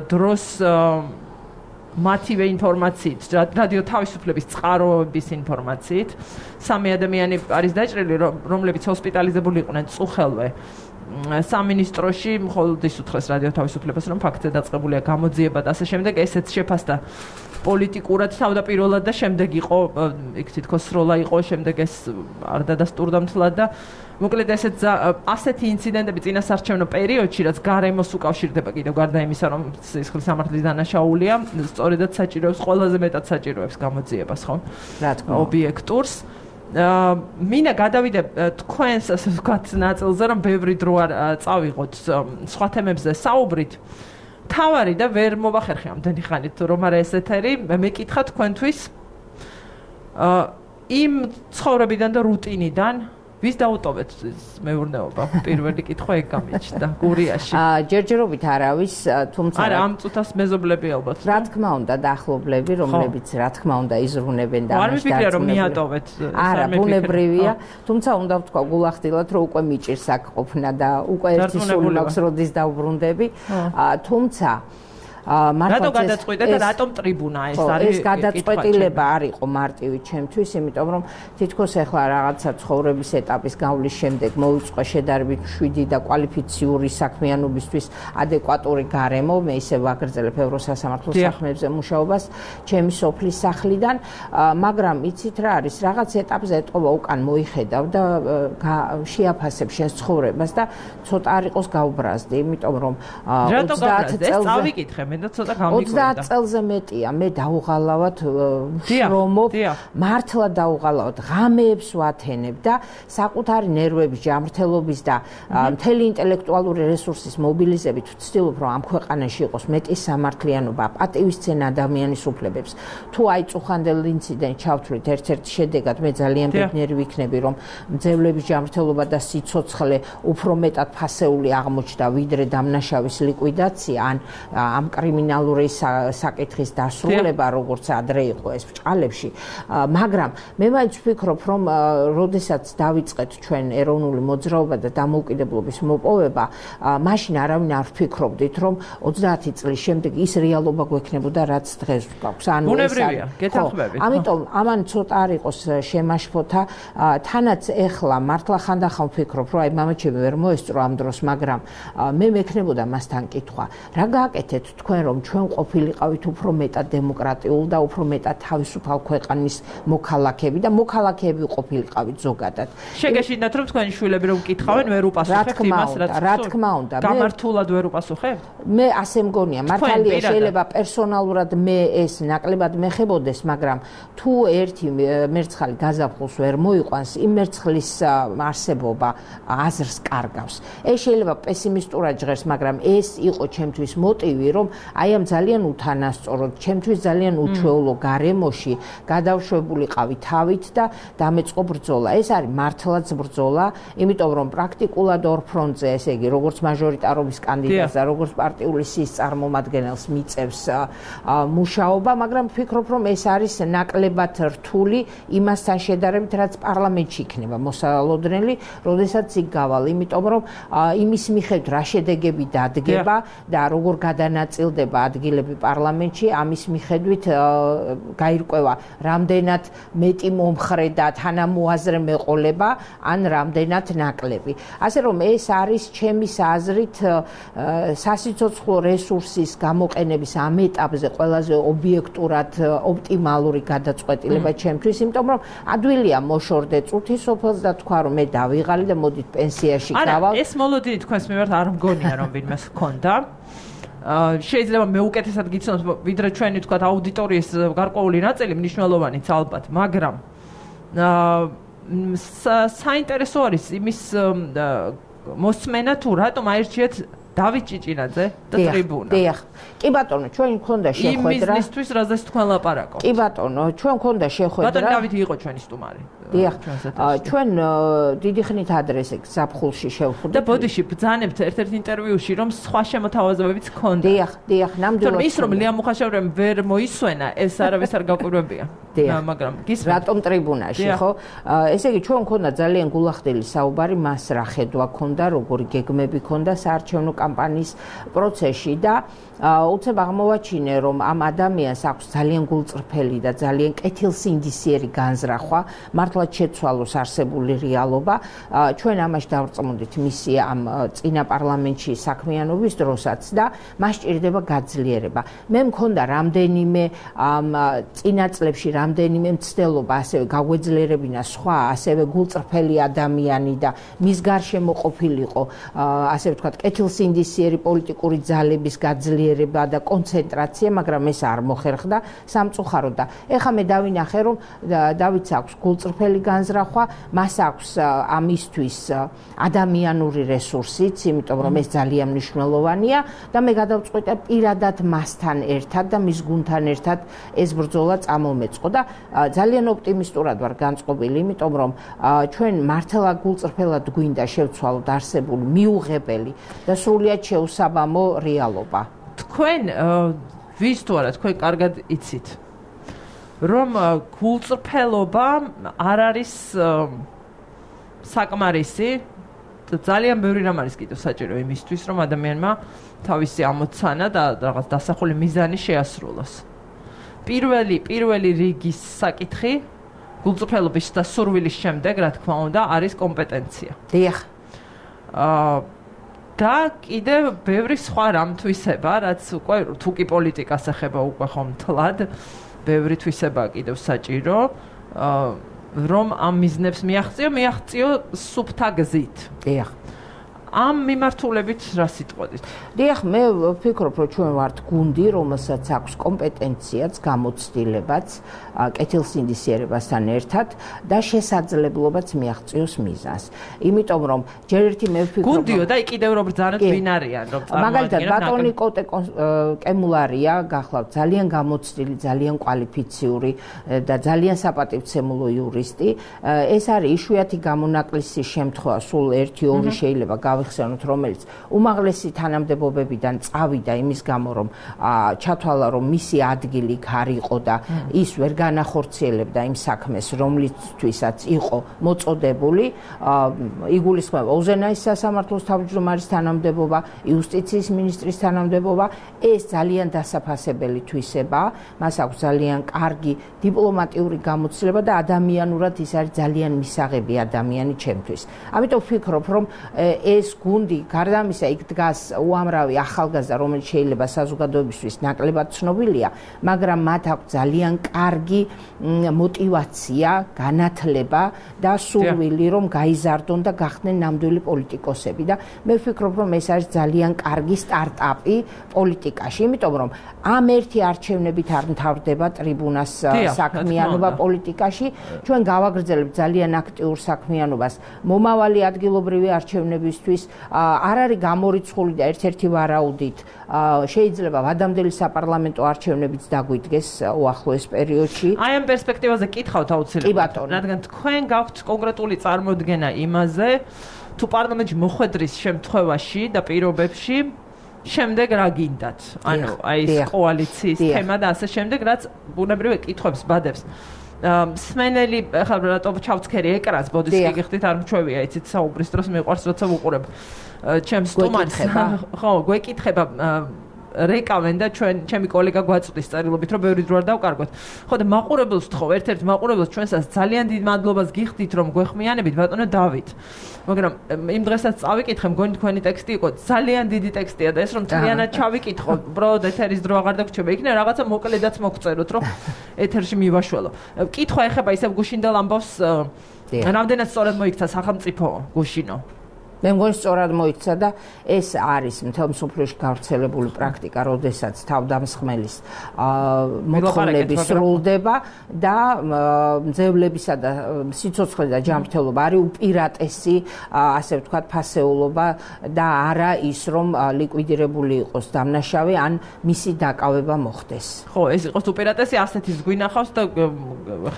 დროს მათივე ინფორმაციით, რადიო თავისუფლების წყაროების ინფორმაციით, 3 ადამიანი არის დაჭრილი, რომლებიც ჰოსპიტალიზებული იყვნენ წუხელვე. სამინისტროში მხოლოდ ის უთხრეს რადიო თავისუფლებას, რომ ფაქტზე დაწყებულია გამოძიება და ასე შემდეგ, ესეც შეფასდა პოლიტიკურად თავდაპირველად და შემდეგ იყო, იქ თითქოს სროლა იყო, შემდეგ ეს არ დადასტურდა მთლად და მოკლედ ასეთი ინციდენტები წინასაარჩევნო პერიოდში, რაც გარემოს უკავშირდება კიდევ გარდა იმისა, რომ სისხლის სამართლის დანაშაულია, სწორედაც საჭიროებს, ყველაზე მეტად საჭიროებს გამოძიებას, ხო? რა თქმა უნდა. ობიექტურს. მინდა გადავიდე თქვენს, ასე ვთქვათ, ნაწილზე, რომ ბევრი დრო არ წავიღოთ სხვა თემებზე საუბრით. თავარი და ვერ მოვახერხე ამდენი ხანით, რომ არა ეს ეთერი, მეკითხა თქვენთვის იმ ცხოვრებიდან და რუტინიდან, ვის დაუტოვეთ მეურნეობა? პირველი კითხვა ეგ გამიჩნდა გურიაში. ჯერჯერობით არავის, თუმცა არა, ამ წუთას მეზობლები ალბათ. რა თქმა უნდა, დაახლოებლები, რომლებიც რა თქმა უნდა იზრუნებენ და არ მიფიქრია რომ მიატოვეთ. არა, ბუნებრივია, თუმცა უნდა ვთქვა გულახდილად, რომ უკვე მიჭირს აქ ყოფნა და უკვე ერთი სული მაქვს როდის დავბრუნდები. თუმცა რატო გადაწყვიტეთ და რატომ ტრიბუნა ეს არის? ეს გადაწყვეტილება არ იყო მარტივი ჩემთვის, იმიტომ რომ თითქოს ახლა რაღაცა ცხოვრების ეტაპის გავლის შემდეგ მოვიწყო შედარებით მშვიდი და კვალიფიციური საქმიანობისთვის ადეკვატური გარემო, მე ისე ვაგრძელებ ევროსასამართლო საქმეებზე მუშაობას ჩემი სოფლის სახლიდან, მაგრამ იცით რა არის, რაღაც ეტაპზე ეტყობა უკან მოიხედავ და შეაფასებ შენს ცხოვრებას და ცოტა არ იყოს გავბრაზდი, იმიტომ რომ 20 წელს წავიკითხე 30 წელზე მეტია მე დაუღალავად შრომობ, მართლა დაუღალავად ღამეებს ვათენებ და საკუთარი ნერვების ჯანმრთელობის და მთელი ინტელექტუალური რესურსის მობილიზებით ვცდილობ რომ ამ ქვეყანაში იყოს მეტი სამართლიანობა, პატივისცემა ადამიანის უფლებებს. თუ აი წუხანდელ ინციდენტს ჩავთვლით ერთ-ერთი შედეგად მე ძალიან ბედნიერი ვიქნები რომ მძევლების ჯანმრთელობა და სიცოცხლე უფრო მეტად ფასეული აღმოჩნდა ვიდრე დამნაშავის ლიკვიდაცია ან ამ კრიმინალური საკითხის დასრულება, როგორც ადრე იყო ეს ბჭყალებში, მაგრამ მე მაინც ვფიქრობ, რომ როდესაც დავიწყეთ ჩვენ ეროვნული მოძრაობა და დამოუკიდებლობის მოპოვება, მაშინ არავინ არ ვფიქრობდით, რომ 30 წლის შემდეგ ის რეალობა გვექნებოდა, რაც დღეს გვაქვს. ანუ ბუნებრივია, გეთანხმებით. ამიტომ ამან ცოტა არ იყოს შემაშფოთა, თანაც ეხლა მართლა ხანდახან ვფიქრობ, რომ აი მამაჩემი ვერ მოესწრო ამ დროს, მაგრამ მე მექნებოდა მასთან კითხვა, რა გააკეთეთ თქვენ რომ ჩვენ ყოფილიყავით უფრო მეტად დემოკრატიულ და უფრო მეტად თავისუფალ ქვეყნის მოქალაქეები და მოქალაქეები ყოფილიყავით ზოგადად. შეგეშინდათ რომ თქვენი შვილები რომ კითხავენ ვერ უპასუხებთ იმას რა თქმა უნდა. გამართულად ვერ უპასუხებთ? მე ასე მგონია, მართალია შეიძლება პერსონალურად მე ეს ნაკლებად მეხებოდეს, მაგრამ თუ ერთი მერცხალი გაზაფხულს ვერ მოიყვანს, იმ მერცხლის არსებობა აზრს კარგავს. ეს შეიძლება პესიმისტურად ჟღერს, მაგრამ ეს იყო ჩემთვის მოტივი, რომ აი ამ ძალიან უთანასწოროდ, ჩემთვის ძალიან უჩვეულო გარემოში გადავშვებულიყავი თავით და დამეწყო ბრძოლა. ეს არის მართლაც ბრძოლა, იმიტომ რომ პრაქტიკულად ორ ფრონტზე, ესე იგი, როგორც მაჟორიტარობის კანდიდატს და როგორც პარტიული სიის წარმომადგენელს მიწევს მუშაობა, მაგრამ ვფიქრობ, რომ ეს არის ნაკლებად რთული იმასთან შედარებით, რაც პარლამენტში იქნება მოსალოდნელი, როდესაც იქ გავალ, იმიტომ რომ იმის მიხედვით რა შედეგები დადგება და როგორ გადანაწილდება ადგილები პარლამენტში, ამის მიხედვით გაირკვევა რამდენად მეტი მომხრე და თანამოაზრე მეყოლება ან რამდენად ნაკლები. ასე რომ ეს არის ჩემის აზრით სასიცოცხლო რესურსის გამოყენების ამ ეტაპზე ყველაზე ობიექტურად ოპტიმალური გადაწყვეტილება ჩემთვის, იმიტომ რომ ადვილია მოშორდე წუთი სოფელს და თქვა რომ მე დავიღალი და მოდით პენსიაში გავალ. არა, ეს მოლოდინი თქვენს მიმართ არ მგონია რომ ვინმეს ჰქონდა. შეიძლება მე უკეთესად გიცნობს ვიდრე ჩვენი თქვა აუდიტორიის გარკვეული ნაწილი მნიშვნელოვანიც ალბათ, მაგრამ საინტერესო არის იმის მოსმენა თუ რატომ აირჩიეთ დავით ჭიჭინაძე და ტრიბუნა. დიახ. კი ბატონო, ჩვენ მქონდა შეხვედრა. იმ მიზნისთვის რაზეც თქვენ ლაპარაკობთ. კი ბატონო, ჩვენ მქონდა შეხვედრა. ბატონო დავითი იყო ჩვენი სტუმარი. დიახ. ჩვენ დიდი ხნით ადრესე ზაფხულში შევხვდით. და ბოდიში ბძანებთ ერთ-ერთ ინტერვიუში რომ სხვა შემოთავაზებებიც ჰქონდა. დიახ, ნამდვილად. ის რომ ლია მუხაშევრემ ვერ მოისვენა, ეს არავის არ გაკვირვებია. მაგრამ გისმენთ. რატომ ტრიბუნაში, ხო? ესე იგი ჩვენ მქონდა ძალიან გულახდელი საუბარი მას რა ხედვა ჰქონდა, როგორი გეგმები ჰქონდა საარჩევნო კამპანიის პროცესში და უცებ აღმოვაჩინე რომ ამ ადამიანს აქვს ძალიან გულწრფელი და ძალიან კეთილსინდისიერი განზრახვა, მართლაც შეცვალოს არსებული რეალობა. ჩვენ ამაში დავწმუნდით მისი ამ წინა პარლამენტში საქმიანობის დროსაც და მას სჭირდება გაძლიერება. მე მქონდა რამდენიმე ამ წინა წლებში რამდენიმე მცდელობა, ასევე გაგვეძლიერებინა სხვა, ასევე გულწრფელი ადამიანი და მის გარშემო ყოფილიყო, ასე ვთქვათ, კეთილსინდისიერი სინდისიერი პოლიტიკური ძალების გაძლიერება და კონცენტრაცია, მაგრამ ეს არ მოხერხდა სამწუხაროდ და ეხლა მე დავინახე რომ დავითს აქვს გულწრფელი განზრახვა, მას აქვს ამისთვის ადამიანური რესურსიც, იმიტომ რომ ეს ძალიან მნიშვნელოვანია და მე გადავწყვიტე პირადად მასთან ერთად და მის გუნდთან ერთად ეს ბრძოლა წამომეწყო და ძალიან ოპტიმისტურად ვარ განწყობილი, იმიტომ რომ ჩვენ მართლა გულწრფელად გვინდა შევცვალოთ არსებული მიუღებელი და სრულიად შეუსაბამო რეალობა. თქვენ ვის თუ არა თქვენ კარგად იცით რომ გულწრფელობა არ არის საკმარისი და ძალიან ბევრი რამ არის კიდევ საჭირო იმისთვის რომ ადამიანმა თავისი ამოცანა და რაღაც დასახული მიზანი შეასრულოს. პირველი რიგის საკითხი გულწრფელობის და სურვილის შემდეგ, რა თქმა უნდა, არის კომპეტენცია. დიახ. და კიდევ ბევრი სხვა რამ თვისება, რაც უკვე თუ კი პოლიტიკას ეხება უკვე ხომ თლად, ბევრი თვისება კიდევ საჭირო, რომ ამ მიზნებს მიაღწიო სუფთა გზით. დიახ. ამ მიმართულებით რა სიტყვოდით? დიახ, მე ვფიქრობ, რომ ჩვენ ვართ გუნდი, რომელსაც აქვს კომპეტენციაც, გამოცდილებაც, კეთილსინდისიერებასთან ერთად და შესაძლებლობაც მიაღწიოს მიზანს. იმიტომ რომ ჯერ ერთი მე ვფიქრობ, გუნდიო და კიდევ რომ ბრძანოთ ვინ არიან, რომ მაგალითად ბატონი კოტე კემულარია, გახლავთ ძალიან გამოცდილი, ძალიან კვალიფიციური და ძალიან საპატივცემულო იურისტი. ეს არის იშვიათი გამონაკლისი შემთხვევა, სულ 1-2 შეიძლება გავიხსენოთ, რომელიც უმაღლესი თანამდებობებიდან წავიდა იმის გამო, რომ ჩათვალა, რომ მისი ადგილი იქ არ იყო და ის ვერ განახორციელებდა იმ საქმეს, რომლისთვისაც იყო მოწოდებული. იგულისხმება უზენაის სასამართლოს თავმჯდომარის თანამდებობა, იუსტიციის მინისტრის თანამდებობა. ეს ძალიან დასაფასებელი თვისებაა. მას აქვს ძალიან კარგი დიპლომატიური გამოცდილება და ადამიანურად ის არის ძალიან მისაღები ადამიანი ჩემთვის. ამიტომ ვფიქრობ, რომ ეს გუნდი გარდა ამისა იქ დგას უამრავი ახალგაზრდა, რომელიც შეიძლება საზოგადოებისთვის ნაკლებად ცნობილია, მაგრამ მათ აქვს ძალიან კარგი мотивация, განათლება და სურვილი, რომ გაიზარდონ და გახდნენ ნამდვილი პოლიტიკოსები და მე ვფიქრობ, რომ ეს არის ძალიან კარგი სტარტაპი პოლიტიკაში, იმიტომ რომ ამ ერთი არჩევნებით არ მთავრდება ტრიბუნას საქმიანობა პოლიტიკაში, ჩვენ გავაგრძელებთ ძალიან აქტიურ საქმიანობას მომავალი ადგილობრივი არჩევნებისთვის, არ არის გამორიცხული და ერთ-ერთი ვარაუდით შეიძლება ვადამდელი საპარლამენტო არჩევნებიც დაგვიდგეს უახლოეს პერიოდში. აი ამ პერსპექტივაზე კითხავთ აუცილებლად, რადგან თქვენ გაქვთ კონკრეტული წარმოდგენა იმაზე, თუ პარლამენტში მოხვედრის შემთხვევაში და პირობებში შემდეგ რა გინდათ? ანუ აი ეს კოალიციის თემა და ასე შემდეგ, რაც ბუნებრივი კითხვებს ბადებს. სმენელი ახლა რატომ ჩავცქერი ეკრანს, ბოდის გიგიხდით არ მჩვევია, იცით საუბრის დროს მიყვარს როცა ვუყურებ ჩემს სტუმარს. ხო, გვეკითხება რეკავენ და ჩემი კოლეგა გვაწვდის წერილობით, რომ ბევრი დრო არ დავკარგოთ. ხო და მაყურებელს თხოვ, ერთ-ერთ მაყურებელს ჩვენსაც ძალიან დიდ მადლობას გიხდით, რომ გვეხმიანებით, ბატონო დავით. მაგრამ იმ დღესაც წავიკითხე, მგონი თქვენი ტექსტი იყო ძალიან დიდი ტექსტია და ეს რომ მთლიანად ჩავიკითხო, უბრალოდ ეთერის დრო აღარ დაგვრჩება. იქნება რაღაცა მოკლედაც მოგწეროთ, რომ ეთერში მივაშველო. კითხვა ეხება ისევ გუშინდელ ამბავს, რამდენად სწორად მოიქცა სახელმწიფო გუშინო. მე მგონი სწორად მოიქცა და ეს არის მთელ მსოფლიოში გავრცელებული პრაქტიკა, როდესაც თავდამსხმელის მოთხოვნები სრულდება და მძევლებისა და სიცოცხლე და ჯანმრთელობა არის უპირატესი, ასე ვთქვათ, ფასეულობა და არა ის, რომ ლიკვიდირებული იყოს დამნაშავე ან მისი დაკავება მოხდეს. ხო, ეს იყოს უპირატესი, ასეთის გვინახავს და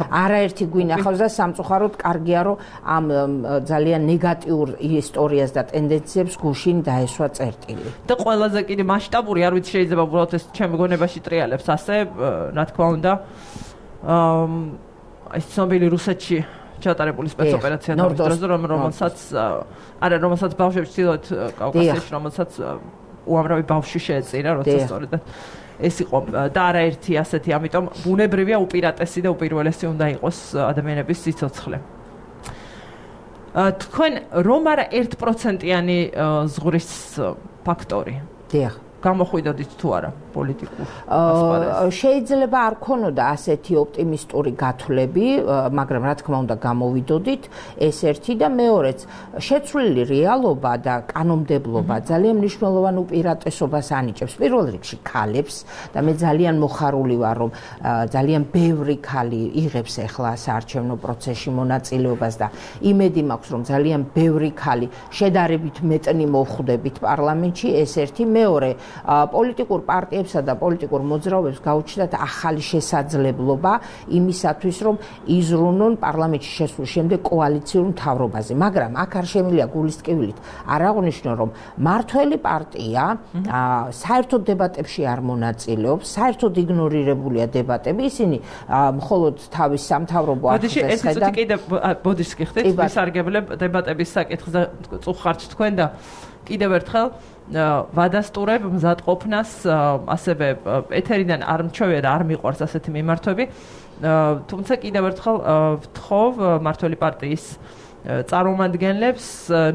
არაერთი გვინახავს და სამწუხაროდ კარგია, რომ ამ ძალიან ნეგატიურ ისტორიას და ტენდენციებს გუშინ დაესვა წერტილი. და ყველაზე კიდე მასშტაბური, არ ვიცი შეიძლება უბრალოდ ეს ჩემ გონებაში ტრიალებს ასე, რა თქმა უნდა, ეს ცნობილი რუსეთში ჩატარებული სპეცოპერაცია ნორდროს რომელსაც ბავშვებს ცდილობთ კავკასიაში, რომელსაც უამრავი ბავშვი შეეწირა, როცა სწორედ ეს იყო და არაერთი ასეთი, ამიტომ ბუნებრივია უპირატესი და უპირველესი უნდა იყოს ადამიანების სიცოცხლე. თქვენ რომ არა 1%-იანი ზღურის ფაქტორი. დიახ. გამოხვიდოდით თუ არა პოლიტიკურ ასპარეზს? შეიძლება არ ქონოდა ასეთი ოპტიმისტური გათვლები, მაგრამ რა თქმა უნდა გამოვიდოდით, ეს ერთი და მეორეც შეცვლილი რეალობა და კანონმდებლობა ძალიან მნიშვნელოვან უპირატესობას ანიჭებს პირველ რიგში ქალებს და მე ძალიან მოხარული ვარ, რომ ძალიან ბევრი ქალი იღებს ახლა საარჩევნო პროცესში მონაწილეობას და იმედი მაქვს, რომ ძალიან ბევრი ქალი შედარებით მეტნი მოვხვდებით პარლამენტში, ეს ერთი, მეორე პოლიტიკურ პარტიებსა და პოლიტიკურ მოძრაობებს გაუჩნდათ ახალი შესაძლებლობა იმისათვის, რომ იზრუნონ პარლამენტში შესვლის შემდეგ კოალიციურ მთავრობაზე. მაგრამ აქ არ შემიძლია გულისტკივილით არ აღვნიშნო, რომ მართველი პარტია საერთოდ დებატებში არ მონაწილეობს, საერთოდ იგნორირებულია დებატები, ისინი მხოლოდ თავის სამთავრობო არხზე ხედავენ. კიდე ბოდიშს გიხდით, ვისარგებლებ დებატების საკითხზე წუხართ თქვენ და კიდევ ერთხელ ვადასტურებ მზადყოფნას, ასევე ეთერიდან არ მჩვევია და არ მიყვარს ასეთი მიმართვები. თუმცა კიდევ ერთხელ ვთხოვ მართველი პარტიის წარმომადგენლებს,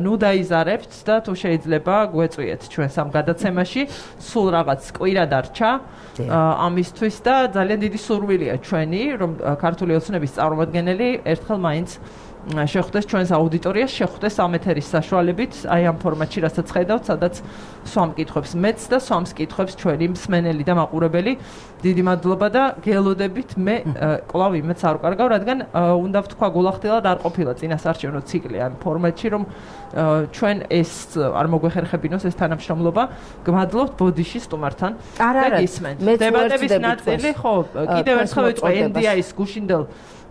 ნუ დაიზარებთ და თუ შეიძლება გვეწვიეთ ჩვენს ამ გადაცემაში, სულ რაღაც კვირა დარჩა ამისთვის და ძალიან დიდი სურვილია ჩვენი, რომ ქართული ოცნების წარმომადგენელი ერთხელ მაინც შეხვდეს ჩვენს აუდიტორიას, შეხვდეს ამ ეთერის საშუალებით, აი ამ ფორმატში, რასაც ხედავთ, სადაც სვამ კითხვებს მეც და სვამს კითხვებს ჩვენი მსმენელი და მაყურებელი. დიდი მადლობა და გელოდებით, მე კვლავ იმედს არ ვკარგავ, რადგან უნდა ვთქვა გულახდილად არ ყოფილა წინასაარჩევნო ციკლი ამ ფორმატში, რომ ჩვენ ეს არ მოგვეხერხებინოს ეს თანამშრომლობა. გმადლობთ ბოდიში სტუმართან და გისმენთ. დებატების ნაწილი, ხო, კიდევ ერთხელ ვეწვე NDI-ის გუშინდელ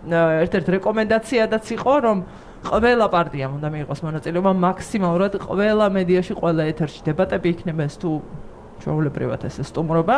ერთ-ერთ რეკომენდაციადაც იყო, რომ ყველა პარტიამ უნდა მიიღოს მონაწილეობა მაქსიმალურად ყველა მედიაში, ყველა ეთერში დებატები იქნება ეს თუ ჩვეულებრივად ეს სტუმრობა.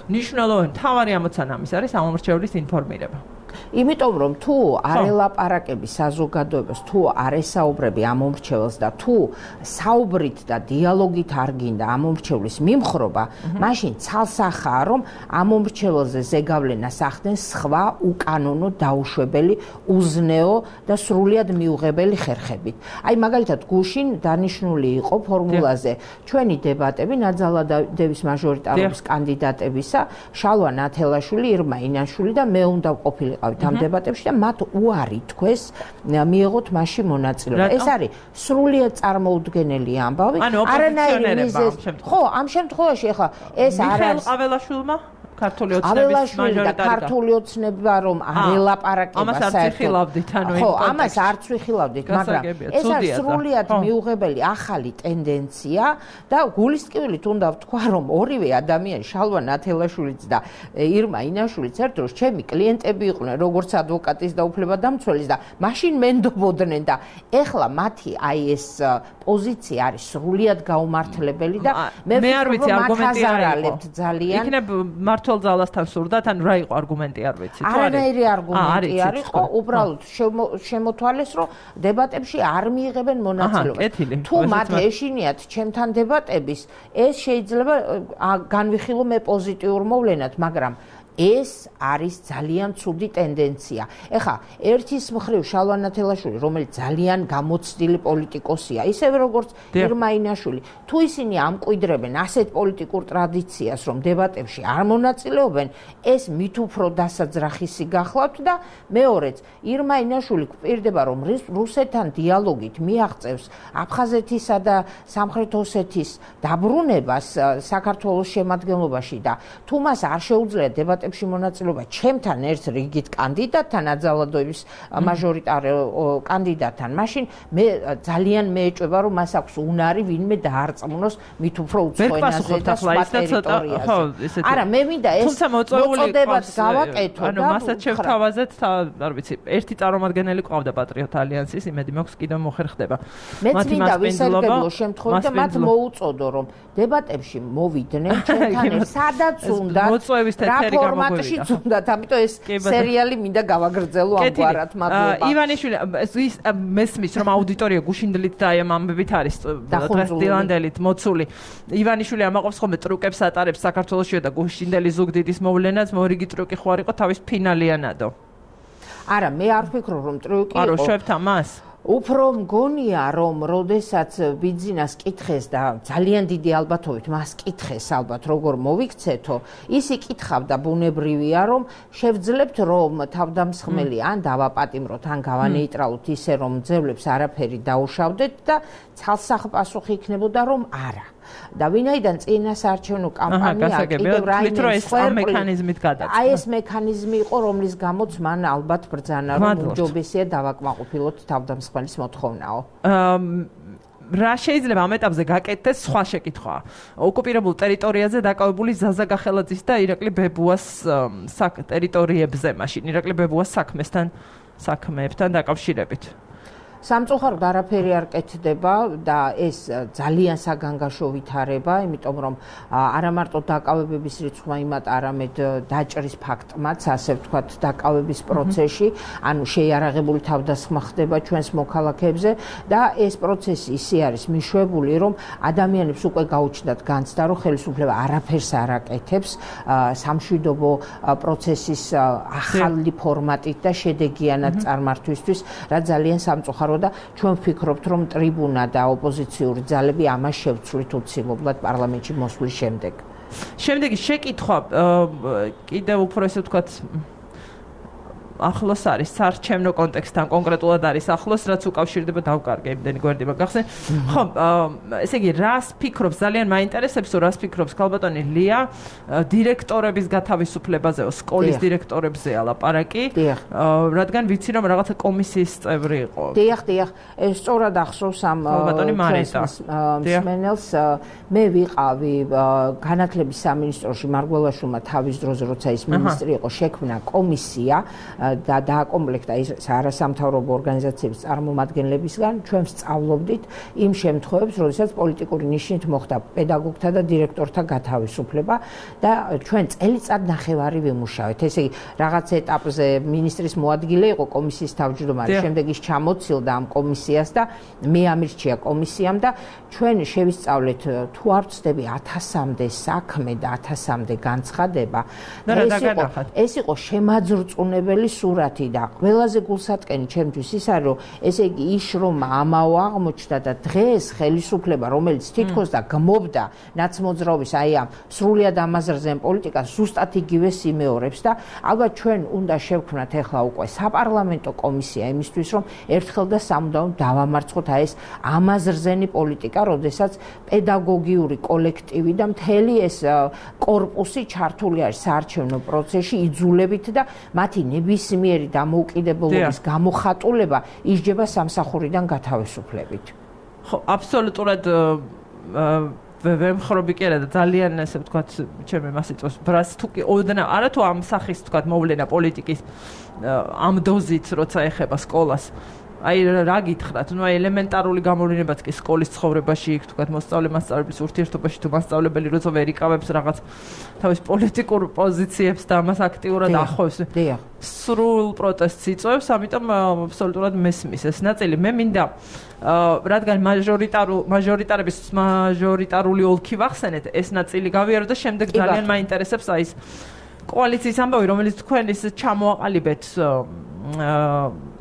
მნიშვნელოვანი მთავარი ამოცანა ამის არის ამომრჩევლის ინფორმირება. იმიტომ რომ თუ არ ელაპარაკები საზოგადოებას, თუ არ ესაუბრები ამომრჩეველს და თუ საუბრით და დიალოგით არ გინდა ამომრჩევლის მიმხრობა, მაშინ ცალსახაა რომ ამომრჩეველზე ზეგავლენას ახდენს სხვა უკანონო დაუშვებელი, უზნეო და სრულიად მიუღებელი ხერხებით. აი მაგალითად გუშინ დანიშნული იყო ფორმულაზე ჩვენი დებატები ნაძალადევის მაჟორიტარობის კანდიდატებისა, შალვა ნათელაშვილი, ირმა ინაშვილი და მე უნდა ყოფილიყავით ამ დებატებში და მათ უარი თქვეს მიიღოთ მასში მონაწილეობა. ეს არის სრულიად წარმოუდგენელი ამბავი. არანაირი მიზეზი. ხო, ამ შემთხვევაში ახლა ეს არ არის ყაველაშვილმა ქართული ოცნების მაჟორიტარი ქართული ოცნება რომ არ ელაპარაკება საერთოდ. ხო, ამას არც ვიხილავდით, მაგრამ ეს არის სრულიად მიუღებელი ახალი ტენდენცია და გულისტკივილით უნდა ვთქვა, რომ ორივე ადამიანი, შალვა ნათელაშვილიც და ირმა ინაშვილიც ერთ დროს ჩემი კლიენტები იყვნენ, როგორც ადვოკატის და უფლებადამცველის და მაშინ მენდობოდნენ და ეხლა მათი აი ეს პოზიცია არის სრულიად გაუმართლებელი და მე არ ვიცი არგუმენტი არ იყო ძალიან. იქნებ მართლ ძალასთან სურდათ, ან რა იყო არგუმენტი არ ვიცი. არანაირი არგუმენტი არ იყო, უბრალოდ შემოთვალეს, რომ დებატებში არ მიიღებენ მონაწილეობას. თუ მათ ეშინიათ ჩემთან დებატების, ეს შეიძლება განვიხილო მე პოზიტიურ მოვლენად, მაგრამ ეს არის ძალიან ცუდი ტენდენცია. ეხლა ერთის მხრივ შალვა ნათელაშვილი, რომელიც ძალიან გამოცდილი პოლიტიკოსია, ისევე როგორც ირმა ინაშვილი, თუ ისინი ამკვიდრებენ ასეთ პოლიტიკურ ტრადიციას, რომ დებატებში არ მონაწილეობენ, ეს მით უფრო დასაძრახისი გახლავთ და მეორეც, ირმა ინაშვილი გვპირდება, რომ რუსეთთან დიალოგით მიაღწევს აფხაზეთისა და სამხრეთ ოსეთის დაბრუნებას საქართველოს შემადგენლობაში და თუ მას არ შეუძლია დებატებში მონაწილეობა ჩემთან ერთ რიგით კანდიდატთან, აძალადოების მაჟორიტარ კანდიდატთან, მაშინ მე ძალიან მეეჭვება, რომ მას აქვს უნარი ვინმე დაარწმუნოს მით უფრო უცხო ენაზე და სხვა ტერიტორიაზე. არა, მე მინდა ეს მოწოდებაც გავაკეთო და ანუ მასაც შევთავაზეთ, არ ვიცი, ერთი წარმომადგენელი ყავდა პატრიოტ ალიანსის, იმედი მაქვს კიდევ მოხერხდება. მეც მინდა ვისარგებლო შემთხვევით და მათ მოუწოდო, რომ დებატებში მოვიდნენ ჩემთან ერთ, სადაც უნდა მოწვევის თეთრი ფორმატში უნდათ, ამიტომ ეს სერიალი მინდა გავაგრძელო ამგვარად. მადლობა. ივანიშვილი, ის მესმის რომ აუდიტორია გუშინდლით და აი ამ ამბებით არის ტრასტილანდელით მოცული. ივანიშვილი ამაყობს ხოლმე ტრუკებს ატარებს საქართველოსში და გუშინდელი ზუგდიდის მოვლენაც მორიგი ტრუკი ხო არ იყო თავის ფინალიანადო. არა, მე არ ვფიქრობ რომ ტრუკი იყო. არ უშვებთ ამას? უფრო მგონია რომ როდესაც ბიძინას კითხეს და ძალიან დიდი ალბათობით მას კითხეს ალბათ როგორ მოვიქცეთო ის იკითხავდა ბუნებრივია რომ შევძლებთ რომ თავდამსხმელი ან დავაპატიმროთ ან გავანეიტრალოთ ისე რომ ძევლებს არაფერი დაუშავდეთ და ცალსახპასუხი იქნებოდა რომ არა და ვინაიდან წინასაარჩევნო კამპანია კიდევ რაიმე მექანიზმით გადაწყდა. აი ეს მექანიზმი იყო, რომლის გამოც მან ალბათ ბრძანა, რომ უჯობესია დავაკმაყოფილოთ თავდამსხმელის მოთხოვნაო. რა შეიძლება ამ ეტაპზე გაკეთდეს სხვა შეკითხვაა. ოკუპირებულ ტერიტორიაზე დაკავებული ზაზა გახელაძის და ირაკლი ბებუას ტერიტორიებზე, მაშინ ირაკლი ბებუას საქმეებთან დაკავშირებით. სამწუხაროდ არაფერი არ კეთდება და ეს ძალიან საგანგაშო ვითარება, იმიტომ რომ არა მარტო დაკავებების რიცხვმა იმათ, არამედ დაჭრის ფაქტმაც, ასე ვთქვათ, დაკავების პროცესში, ანუ შეიარაღებული თავდასხმა ხდება ჩვენს მოქალაქეებზე და ეს პროცესი ისე არის მიშვებული, რომ ადამიანებს უკვე გაუჩნდათ განცდა, რომ ხელისუფლება არაფერს არ აკეთებს სამშვიდობო პროცესის ახალი ფორმატით და შედეგიანად წარმართვისთვის, რაც ძალიან სამწუხაროა და ჩვენ ვფიქრობთ, რომ ტრიბუნა და ოპოზიციური ძალები ამას შევცვლით უცილობლად პარლამენტში მოსვლის შემდეგ. შემდეგი შეკითხვა კიდევ უფრო ესე ვთქვათ ახლოს არის საარჩევნო კონტექსტთან კონკრეტულად არის ახლოს, რაც უკავშირდება დავკარგე იმდენი გვერდი მაგახსენ. ხო, ესე იგი, რას ფიქრობს, ძალიან მაინტერესებს, რას ფიქრობს ქალბატონი ლია დირექტორების გათავისუფლებაზეო, სკოლის დირექტორებზეა ლაპარაკი, რადგან ვიცი რომ რაღაცა კომისიის წევრი იყო. დიახ, ეს სწორად ახსოვს ამ ქალბატონი მარიტა. მსმენელს მე ვიყავი განათლების სამინისტროში მარგველაშვილმა თავის დროზე, როცა ის მინისტრი იყო, შექმნა კომისია და დააკომპლექტა ის არასამთავრობო ორგანიზაციების წარმომადგენლებისგან ჩვენ ვსწავლობდით იმ შემთხვევებს, როდესაც პოლიტიკური ნიშნით მოხდა პედაგოგთა და დირექტორთა გათავისუფლება და ჩვენ წელიწად ნახევარი ვიმუშავეთ. ესე იგი, რაღაც ეტაპზე მინისტრის მოადგილე იყო კომისიის თავმჯდომარე, შემდეგ ის ჩამოცილდა ამ კომისიას და მე ამირჩია კომისიამ და ჩვენ შევისწავლეთ თუ არ ვწდები 1000-მდე საქმე და 1000-მდე განცხადება. ეს იყო შემაძრწუნებელი სურათი და ყველაზე გულსატკენი ჩემთვის ის არის, რომ ესე იგი იშრომა ამაო აღმოჩნდა და დღეს ხელისუფლება, რომელიც თითქოს და გმობდა ნაცმოძრაობის აი ამ სრულიად ამაზრზენ პოლიტიკას ზუსტად იგივე სიმეორებს და ალბათ ჩვენ უნდა შევქმნათ ახლა უკვე საპარლამენტო კომისია იმისთვის, რომ ერთხელ და სამუდამოდ დავამარცხოთ აი ეს ამაზრზენი პოლიტიკა, როდესაც პედაგოგიური კოლექტივი და მთელი ეს კორპუსი ჩართული არის საარჩევნო პროცესში იძულებით და მათი ნებისმიერი დამოუკიდებლობის გამოხატულება ისჯება სამსახურიდან გათავისუფლებით. ხო, აბსოლუტურად ვერ მხრობი კი არა და ძალიან ასე ვთქვათ, ჩემი მასიწევს ბრას თუ კი ოდნა არა თუ ამ სახის ვთქვათ მოვლენა პოლიტიკის ამ დოზით როცა ეხება სკოლას. აი რა გითხრათ, ნუ აი ელემენტარული გამოვლენებაც კი სკოლის ცხოვრებაში იქ თქვათ მოსწავლე-მასწავლებლის ურთიერთობაში თუ მასწავლებელი როცა ვერ იკავებს რაღაც თავის პოლიტიკურ პოზიციებს და ამას აქტიურად ახავს. სრულ პროტესტს იწვევს, ამიტომ აბსოლუტურად მესმის ეს ნაწილი. მე მინდა რადგან მაჟორიტარული ოლქი ვახსენეთ, ეს ნაწილი გავიარო და შემდეგ ძალიან მაინტერესებს აი ეს კოალიციის ამბავი, რომელიც თქვენ ის ჩამოაყალიბეთ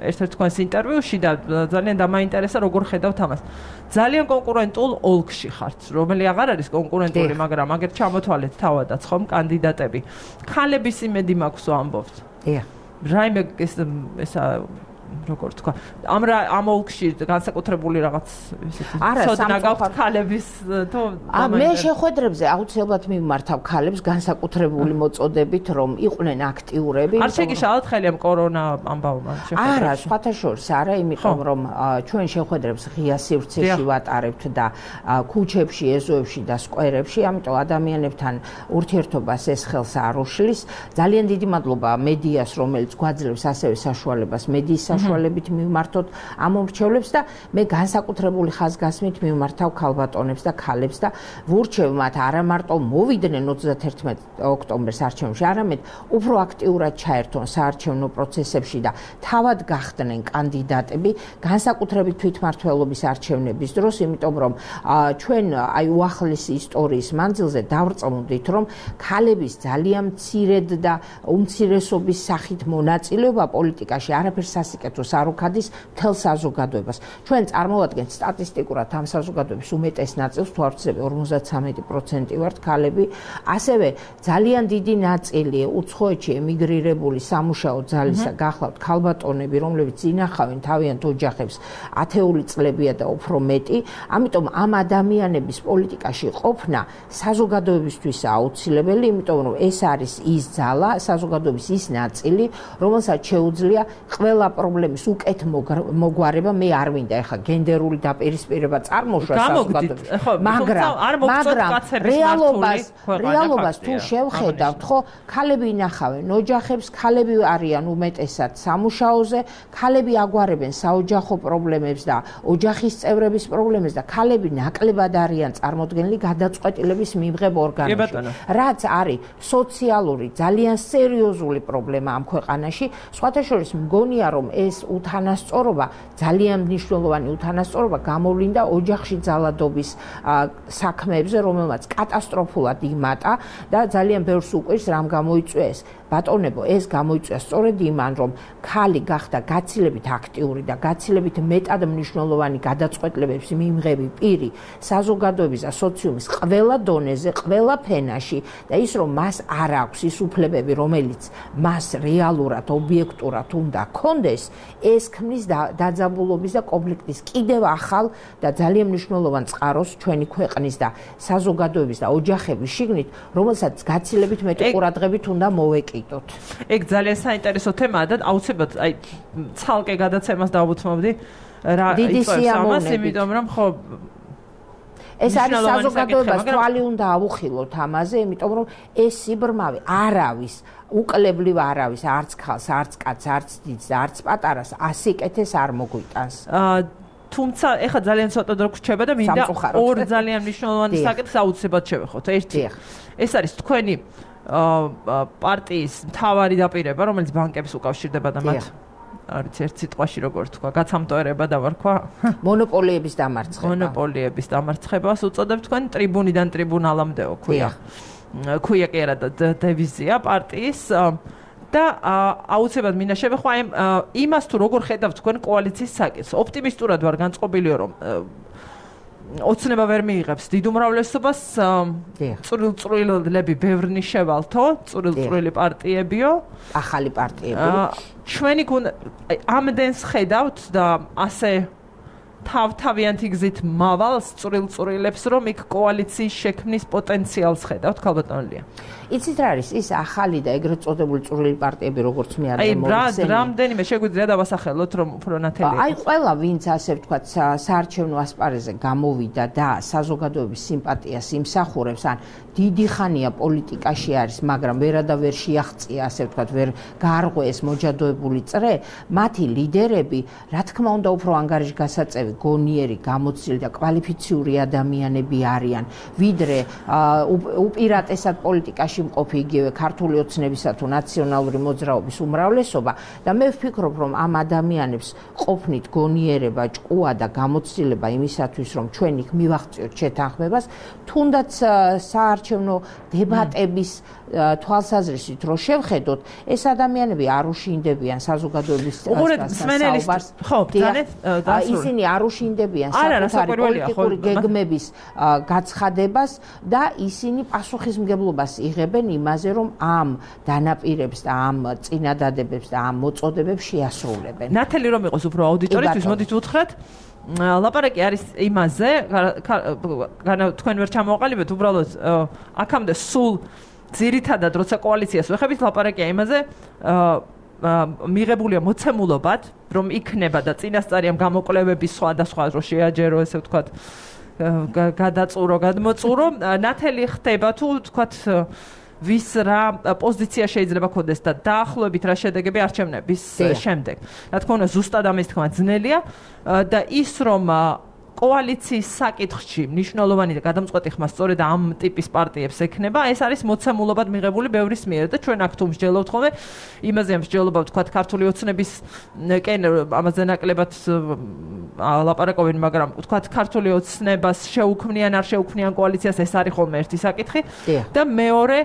ერთ-ერთ თქვენს ინტერვიუში და ძალიან დამაინტერესა როგორ ხედავთ ამას. ძალიან კონკურენტულ ოლქში ხართ, რომელი აღარ არის კონკურენტული, მაგრამ აგერ ჩამოთვალეთ თავადაც ხომ კანდიდატები. ქალების იმედი მაქვს ამბობთ. რაიმე ესა როგორ თქვა, ამ ოლქში განსაკუთრებული რაღაც ისეთი ცოდნა გაქვთ ქალების თუ მე შეხვედრებზე აუცილებლად მიმართავ ქალებს განსაკუთრებული მოწოდებით, რომ იყვნენ აქტიურები. არ შეგიშალათ ხელი ამ კორონა ამბავმა შეხვედრებში? არა, სხვათა შორის არა, იმიტომ რომ ჩვენ შეხვედრებს ღია სივრცეში ვატარებთ და ქუჩებში, ეზოებში და სკვერებში, ამიტომ ადამიანებთან ურთიერთობას ეს ხელს არ უშლის. ძალიან დიდი მადლობა მედიას, რომელიც გვაძლევს ასევე საშუალებას მედიის საშუალებით მივმართოთ ამ მომრჩევლებს და მე განსაკუთრებული ხაზგასმით მივმართავ ქალბატონებს და ქალებს და ვურჩევ მათ არა მარტო მოვიდნენ 31 ოქტომბერს არჩევნებში, არამედ უფრო აქტიურად ჩაერთონ საარჩევნო პროცესებში და თავად გახდნენ კანდიდატები განსაკუთრებით თვითმმართველობის არჩევნების დროს, იმიტომ რომ ჩვენ აი უახლესი ისტორიის მანძილზე დავრწმუნდით, რომ ქალების ძალიან მცირედ და უმცირესობის სახით მონაწილეობა პოლიტიკაში არაფერს სასიკეთო საქართველოს არ უქადის მთელ საზოგადოებას. ჩვენ წარმოვადგენთ სტატისტიკურად ამ საზოგადოების უმეტეს ნაწილს, თუ არ ვცდები 53% ვართ ქალები, ასევე ძალიან დიდი ნაწილი უცხოეთში ემიგრირებული სამუშაო ძალისა გახლავთ ქალბატონები, რომლებიც ინახავენ თავიანთ ოჯახებს 10 წლებია და უფრო მეტი, ამიტომ ამ ადამიანების პოლიტიკაში ყოფნა საზოგადოებისთვის აუცილებელი, იმიტომ რომ ეს არის ის ძალა, საზოგადოების ის ნაწილი, რომელსაც შეუძლია ყველა პრობლემის უკეთ მოგვარება. მე არ მინდა ეხლა გენდერული დაპირისპირება წარმოშვა საზოგადოების, მაგრამ რეალობას თუ შევხედავთ, ხო, ქალები ინახავენ ოჯახებს, ქალები არიან უმეტესად სამუშაოზე, ქალები აგვარებენ საოჯახო პრობლემებს და ოჯახის წევრების პრობლემებს და ქალები ნაკლებად არიან წარმოდგენილი გადაწყვეტილების მიმღებ ორგანოში. რაც არის სოციალური ძალიან სერიოზული პრობლემა ამ ქვეყანაში, სხვათა შორის მგონია რომ ეს უთანასწორობა, ძალიან მნიშვნელოვანი უთანასწორობა გამოვლინდა ოჯახში ძალადობის საქმეებზე, რომელმაც კატასტროფულად იმატა და ძალიან ბევრს უყვირს რამ გამოიწვია ეს. ბატონებო, ეს გამოიწვია სწორედ იმან, რომ ქალი გახდა გაცილებით აქტიური და გაცილებით მეტად მნიშვნელოვანი გადაწყვეტილებების მიმღები პირი საზოგადოების და სოციუმის ყველა დონეზე, ყველა ფენაში და ის რომ მას არ აქვს ის უფლებები, რომელიც მას რეალურად, ობიექტურად უნდა ჰქონდეს, ეს ქმნის დაძაბულობის და კონფლიქტის კიდევ ახალ და ძალიან მნიშვნელოვან წყაროს ჩვენი ქვეყნის და საზოგადოების და ოჯახების შიგნით, რომელსაც გაცილებით მეტი ყურადღებით უნდა მოვეკიდოთ. ეგ ძალიან საინტერესო თემაა და აუცილებლად აი ცალკე გადაცემას დავუთმობდი რა იწევს, იმიტომ რომ ხო ეს არის საზოგადოებას თვალი უნდა ავუხილოთ ამაზე, იმიტომ რომ ეს სიბრმავე არავის უკლებლივ არავის არც ხალხს, არც კაცს, არც დიდს და არც პატარას ასიკეთეს არ მოგვიტანს. თუმცა ეხლა ძალიან ცოტა დრო გრჩება და მინდა ორ ძალიან მნიშვნელოვანი საკითხს აუცილებლად შევეხოთ. ერთი ეს არის თქვენი პარტიის მთავარი დაპირება, რომელიც ბანკებს უკავშირდება და მათ არის ერთ სიტყვაში როგორ თქვა, გაცამტოერება დავარქვა? მონოპოლიების დამარცხება. მონოპოლიების დამარცხებას უწოდებთ თქვენ ტრიბუნიდან ტრიბუნალამდეო ქვია. ქვია კი არა დევიზია პარტიის და აუცილებლად მინდა შევეხვა იმას თუ როგორ ხედავთ თქვენ კოალიციის საკითხს. ოპტიმისტურად ვარ განწყობილი რომ ოცნება ვერ მიიღებს დიდ უმრავლესობას, წვრილ-წვრილები ბევრნი შევალთო, წვრილ-წვრილი პარტიებიო, ახალი პარტიები. ჩვენი ამდენს ხედავთ და ასე თავთავიანთი გზით მავალს წვრილ-წვრილებს, რომ იქ კოალიციის შექმნის პოტენციალს ხედავთ, ქალბატონელია. იცით რა არის ის ახალი და ეგრეთ წოდებული წვრილი პარტიები, როგორც მე არის მოიხსენე. აი, რამდენიმე შეგვიძლია დავასახელოთ, რომ უფრო ნათელია. აი, ყველა ვინც ასე ვთქვათ, საარჩევნო ასპარეზზე გამოვიდა და საზოგადოების სიმპათიას იმსახურებს, ან დიდი ხანია პოლიტიკაში არის, მაგრამ ვერადავერ შეაღწია, ასე ვთქვათ, ვერ გაარღვეს მოჯადოებული წრე, მათი ლიდერები, რა თქმა უნდა, უფრო ანგარიში გასაწევი, გონიერი, გამოცდილი და კვალიფიციური ადამიანები არიან, ვიდრე უპირატესად პოლიტიკაში მყოფი იგივე ქართული ოცნებისა თუ ნაციონალური მოძრაობის უმრავლესობა და მე ვფიქრობ, რომ ამ ადამიანებს ყოფნით გონიერება, ჭკუა და გამოცდილება იმისათვის, რომ ჩვენ იქ მივაღწიოთ შეთანხმებას, თუნდაც საარჩევნო დებატების თვალსაზრისით რო შევხედოთ, ეს ადამიანები არ უშინდებიან საზოგადოების საუბარს. ხო, ისინი არ უშინდებიან საკუთარი პოლიტიკური გეგმების გაცხადებას და ისინი პასუხისმგებლობას იღებენ იმაზე, რომ ამ დანაპირებს და ამ წინადადებებს და ამ მოწოდებებს შეასრულებენ. ნათელი რომ იყოს უფრო აუდიტორისთვის, მოდით უთხრათ. ლაპარაკი არის იმაზე, თქვენ ვერ ჩამოვაყალიბეთ, უბრალოდ აქამდე სულ ძირითადად როცა კოალიციას ვეხებით, ლაპარაკია იმაზე, მიღებულია მოცემულობად, რომ იქნება და წინასწარი ამ გამოკვლევების სხვადასხვა რო შეაჯერო, ესე ვთქვათ, გადაწურო, გადმოწურო, ნათელი ხდება თუ ვთქვათ ვის რა პოზიცია შეიძლება ქონდეს და დაახლოებით რა შედეგები არჩევნების შემდეგ. რა თქმა უნდა, ზუსტად ამის თქმა ძნელია და ის რომ კოალიციის საკითხში მნიშვნელოვანი და გადამწყვეტი ხმა სწორედ ამ ტიპის პარტიებს ექნება, ეს არის მოცემულობად მიღებული ბევრის მიერ და ჩვენ აქ თუ მსჯელობთ ხოლმე, იმაზე მსჯელობა ვთქვათ ქართული ოცნების კენ ამაზე ნაკლებად ლაპარაკობენ, მაგრამ ვთქვათ ქართული ოცნებას შეუქმნიან არ შეუქმნიან კოალიციას, ეს არის ხოლმე ერთი საკითხი და მეორე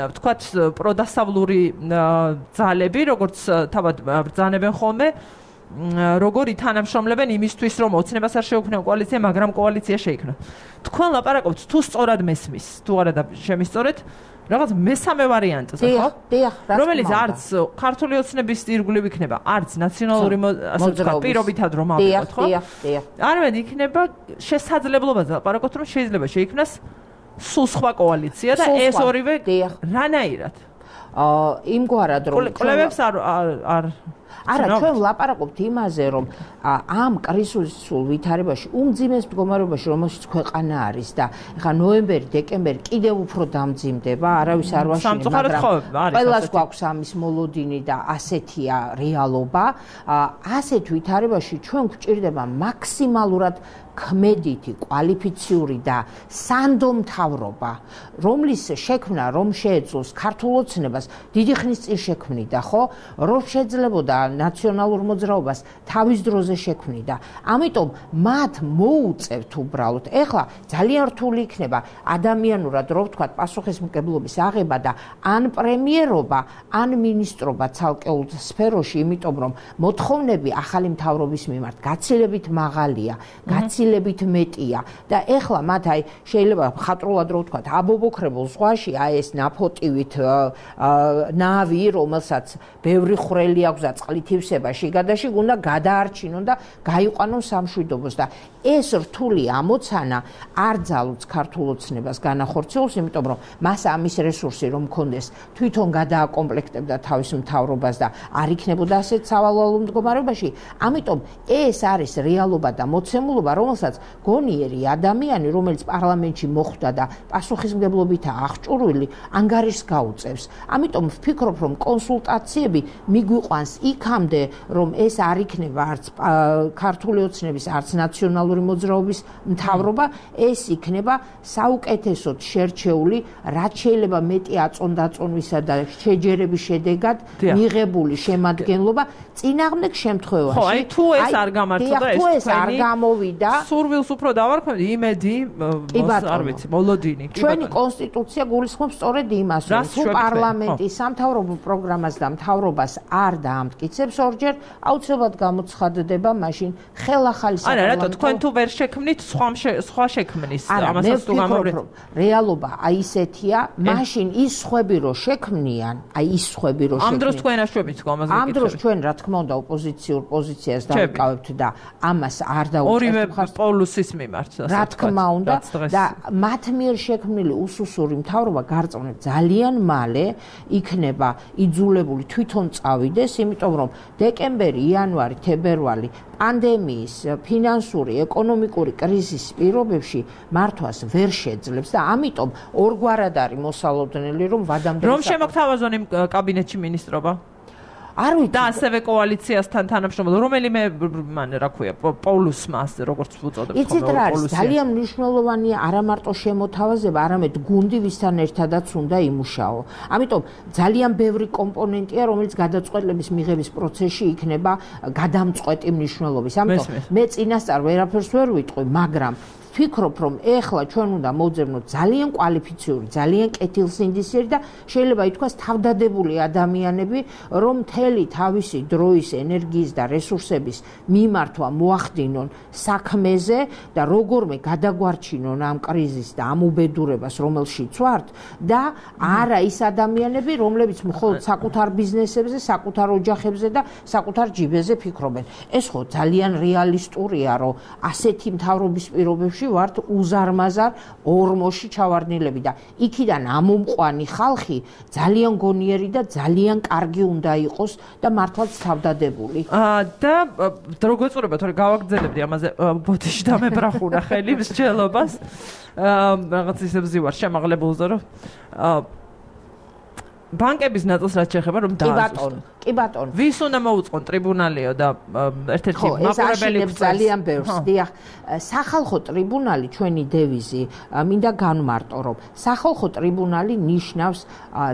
ვთქვათ პროდასავლური ძალები, როგორც თავად ბრძანებენ ხოლმე როგორ ითანამშრომლებენ იმისთვის, რომ ოცნებას არ შეუქმნან კოალიცია, მაგრამ კოალიცია შეიქმნა. თქვენ ლაპარაკობთ თუ სწორად მესმის, თუ არა და შემისწორეთ, რაღაც მესამე ვარიანტზე, ხო? რომელიც არც ქართული ოცნების ირგვლივ იქნება, არც ნაციონალური ასე ვთქვათ, პირობითად რომ ავიღოთ, ხო? არამედ იქნება შესაძლებლობაზე ლაპარაკობთ, რომ შეიძლება შეიქმნას სულ სხვა კოალიცია და ეს ორივე რანაირად? იმგვარად რომ კვლევებს არ არა, ჩვენ ვლაპარაკობთ იმაზე, რომ ამ კრიზისულ ვითარებაში, უმძიმეს მდგომარეობაში, რომელშიც ქვეყანა არის და ეხლა ნოემბერი, დეკემბერი კიდევ უფრო დამძიმდება, არავის არ ვაშინებს, მაგრამ ყველას გვაქვს ამის მოლოდინი და ასეთია რეალობა. ასეთ ვითარებაში ჩვენ გვჭირდება მაქსიმალურად ქმედითი, კვალიფიციური და სანდო მთავრობა, რომლის შექმნა, რომ შეეძლოს ქართულ ოცნებას დიდი ხნის წინ შექმნიდა, ხო? რომ შეძლებოდა ნაციონალურ მოძრაობას თავის დროზე შექმნიდა. ამიტომ მათ მოუწევთ უბრალოდ. ეხლა ძალიან რთული იქნება ადამიანურად, რომ ვთქვათ, პასუხისმგებლობის აღება და ან პრემიერობა, ან მინისტრობა ცალკეულ სფეროში, იმიტომ რომ მოთხოვნები ახალი მთავრობის მიმართ გაცილებით მაღალია, გაცილებით მეტია და ეხლა მათ აი შეიძლება ხატრულად რო ვთქვათ, აბობოქრებულ ზღვაში აი ეს ნაფოტივით ნავი, რომელსაც ბევრი ხვრელი აქვს და წყლით ივსება შიგადაში, უნდა გადაარჩინონ და გაიყვანონ სამშვიდობოს და ეს რთული ამოცანა არ ძალუց ქართულ ოცნებას განახორციელოს, იმიტომ რომ მას ამის რესურსი რომ მქონდეს, თვითონ გადააკომპლექტებდა თავის მთავრობას და არ იქნებოდა ასეთ სავალალო მდგომარეობაში. ამიტომ ეს არის რეალობა და მოცემულობა, რომელსაც გონიერი ადამიანი, რომელიც პარლამენტში მოხვდა და პასუხისმგებლობითაა აღჭურვილი, ანგარიშს გაუწევს. ამიტომ ვფიქრობ, რომ კონსულტაციები მიგვიყვანს იქამდე, რომ ეს არ იქნება არც ქართული ოცნების, არც ნაციონალური მოძრაობის მთავრობა, ეს იქნება საუკეთესოდ შერჩეული, რაც შეიძლება მეტი აწონდაწონვისა და შეჯერების შედეგად მიღებული შემადგენლობა წინააღმდეგ შემთხვევაში. ხო, აი თუ ეს არ გამართლდა, ეს არ გამოვიდა, სურვილს უფრო დავარქვევდი, იმედი, არ ვიცი, მოლოდინი. ჩვენი კონსტიტუცია გულისხმობს სწორედ იმას, რომ თუ პარლამენტი სამთავრობო პროგრამას და მთავრობას არ დაამტკიცებს ორჯერ, აუცილებლად გამოცხადდება მაშინ ხელახალი საპარლამენტო. არა, რატო თქვენ თუ ვერ შექმნით, სხვა შექმნის, ამასაც თუ გამოვიდეთ. რეალობა აი ისეთია, მაშინ ის სხვები რო შექმნიან, აი ის სხვები რო შექმნიან. ამ დროს თქვენ აშვებით ამას გეკითხებით. ამ დროს ჩვენ რა თქმა უნდა ოპოზიციურ პოზიციას დავიკავებთ და ამას არ დაუწევთ. ორივე პოლუსის მიმართ, რა თქმა უნდა და მათ მიერ შექმნილი უსუსური მთავრობა გარწმუნებთ ძალიან მალე იქნება იძულებული თვითონ წავიდეს, იმიტომ რომ დეკემბერი, იანვარი, თებერვალი პანდემიის, ფინანსური, ეკონომიკური კრიზისის პირობებში მართვას ვერ შეძლებს და ამიტომ ორგვარად არის მოსალოდნელი, რომ ვადამდე რომ შემოგთავაზონ იმ კაბინეტში მინისტრობა? არ ვიცი და ასევე კოალიციასთან თანამშრომლობა, რომელიმე მან რა ქვია, პოლუსმა, როგორც უწოდებთ, იცით რა არის, ძალიან მნიშვნელოვანია არა მარტო შემოთავაზება, არამედ გუნდი ვისთან ერთადაც უნდა იმუშაო. ამიტომ ძალიან ბევრი კომპონენტია, რომელიც გადაწყვეტილების მიღების პროცესში იქნება გადამწყვეტი მნიშვნელობის. ამიტომ მე წინასწარ ვერაფერს ვერ ვიტყვი, მაგრამ ვფიქრობ, რომ ეხლა ჩვენ უნდა მოვძებნოთ ძალიან კვალიფიციური, ძალიან კეთილსინდისიერი და შეიძლება ითქვას თავდადებული ადამიანები, რომ მთელი თავისი დროის, ენერგიის და რესურსების მიმართვა მოახდინონ საქმეზე და როგორმე გადაგვარჩინონ ამ კრიზისს და ამ უბედურებას, რომელშიც ვართ და არა ის ადამიანები, რომლებიც მხოლოდ საკუთარ ბიზნესებზე, საკუთარ ოჯახებზე და საკუთარ ჯიბეზე ფიქრობენ. ეს ხო ძალიან რეალისტურია, რომ ასეთი მთავრობის პირობებში ვართ უზარმაზარ ორმოში ჩავარდნილები და იქიდან ამომყვანი ხალხი ძალიან გონიერი და ძალიან კარგი უნდა იყოს და მართლაც თავდადებული. და რო გვეწურება, თორე გავაგრძელებდი ამაზე ბოთიში დამებრახუნა ხელი მსჯელობას. რაღაც ისე ვზივარ შემაღლებულზე, რომ ბანკების ნაწილს რაც შეეხება, რომ დაასუსტონ. კი ბატონო. ვის უნდა მოუწყონ ტრიბუნალიო და ერთ-ერთი მაყურებელი ძალიან ბევრს. დიახ, სახალხო ტრიბუნალი ჩვენი დევიზი მინდა განმარტო, რომ სახალხო ტრიბუნალი ნიშნავს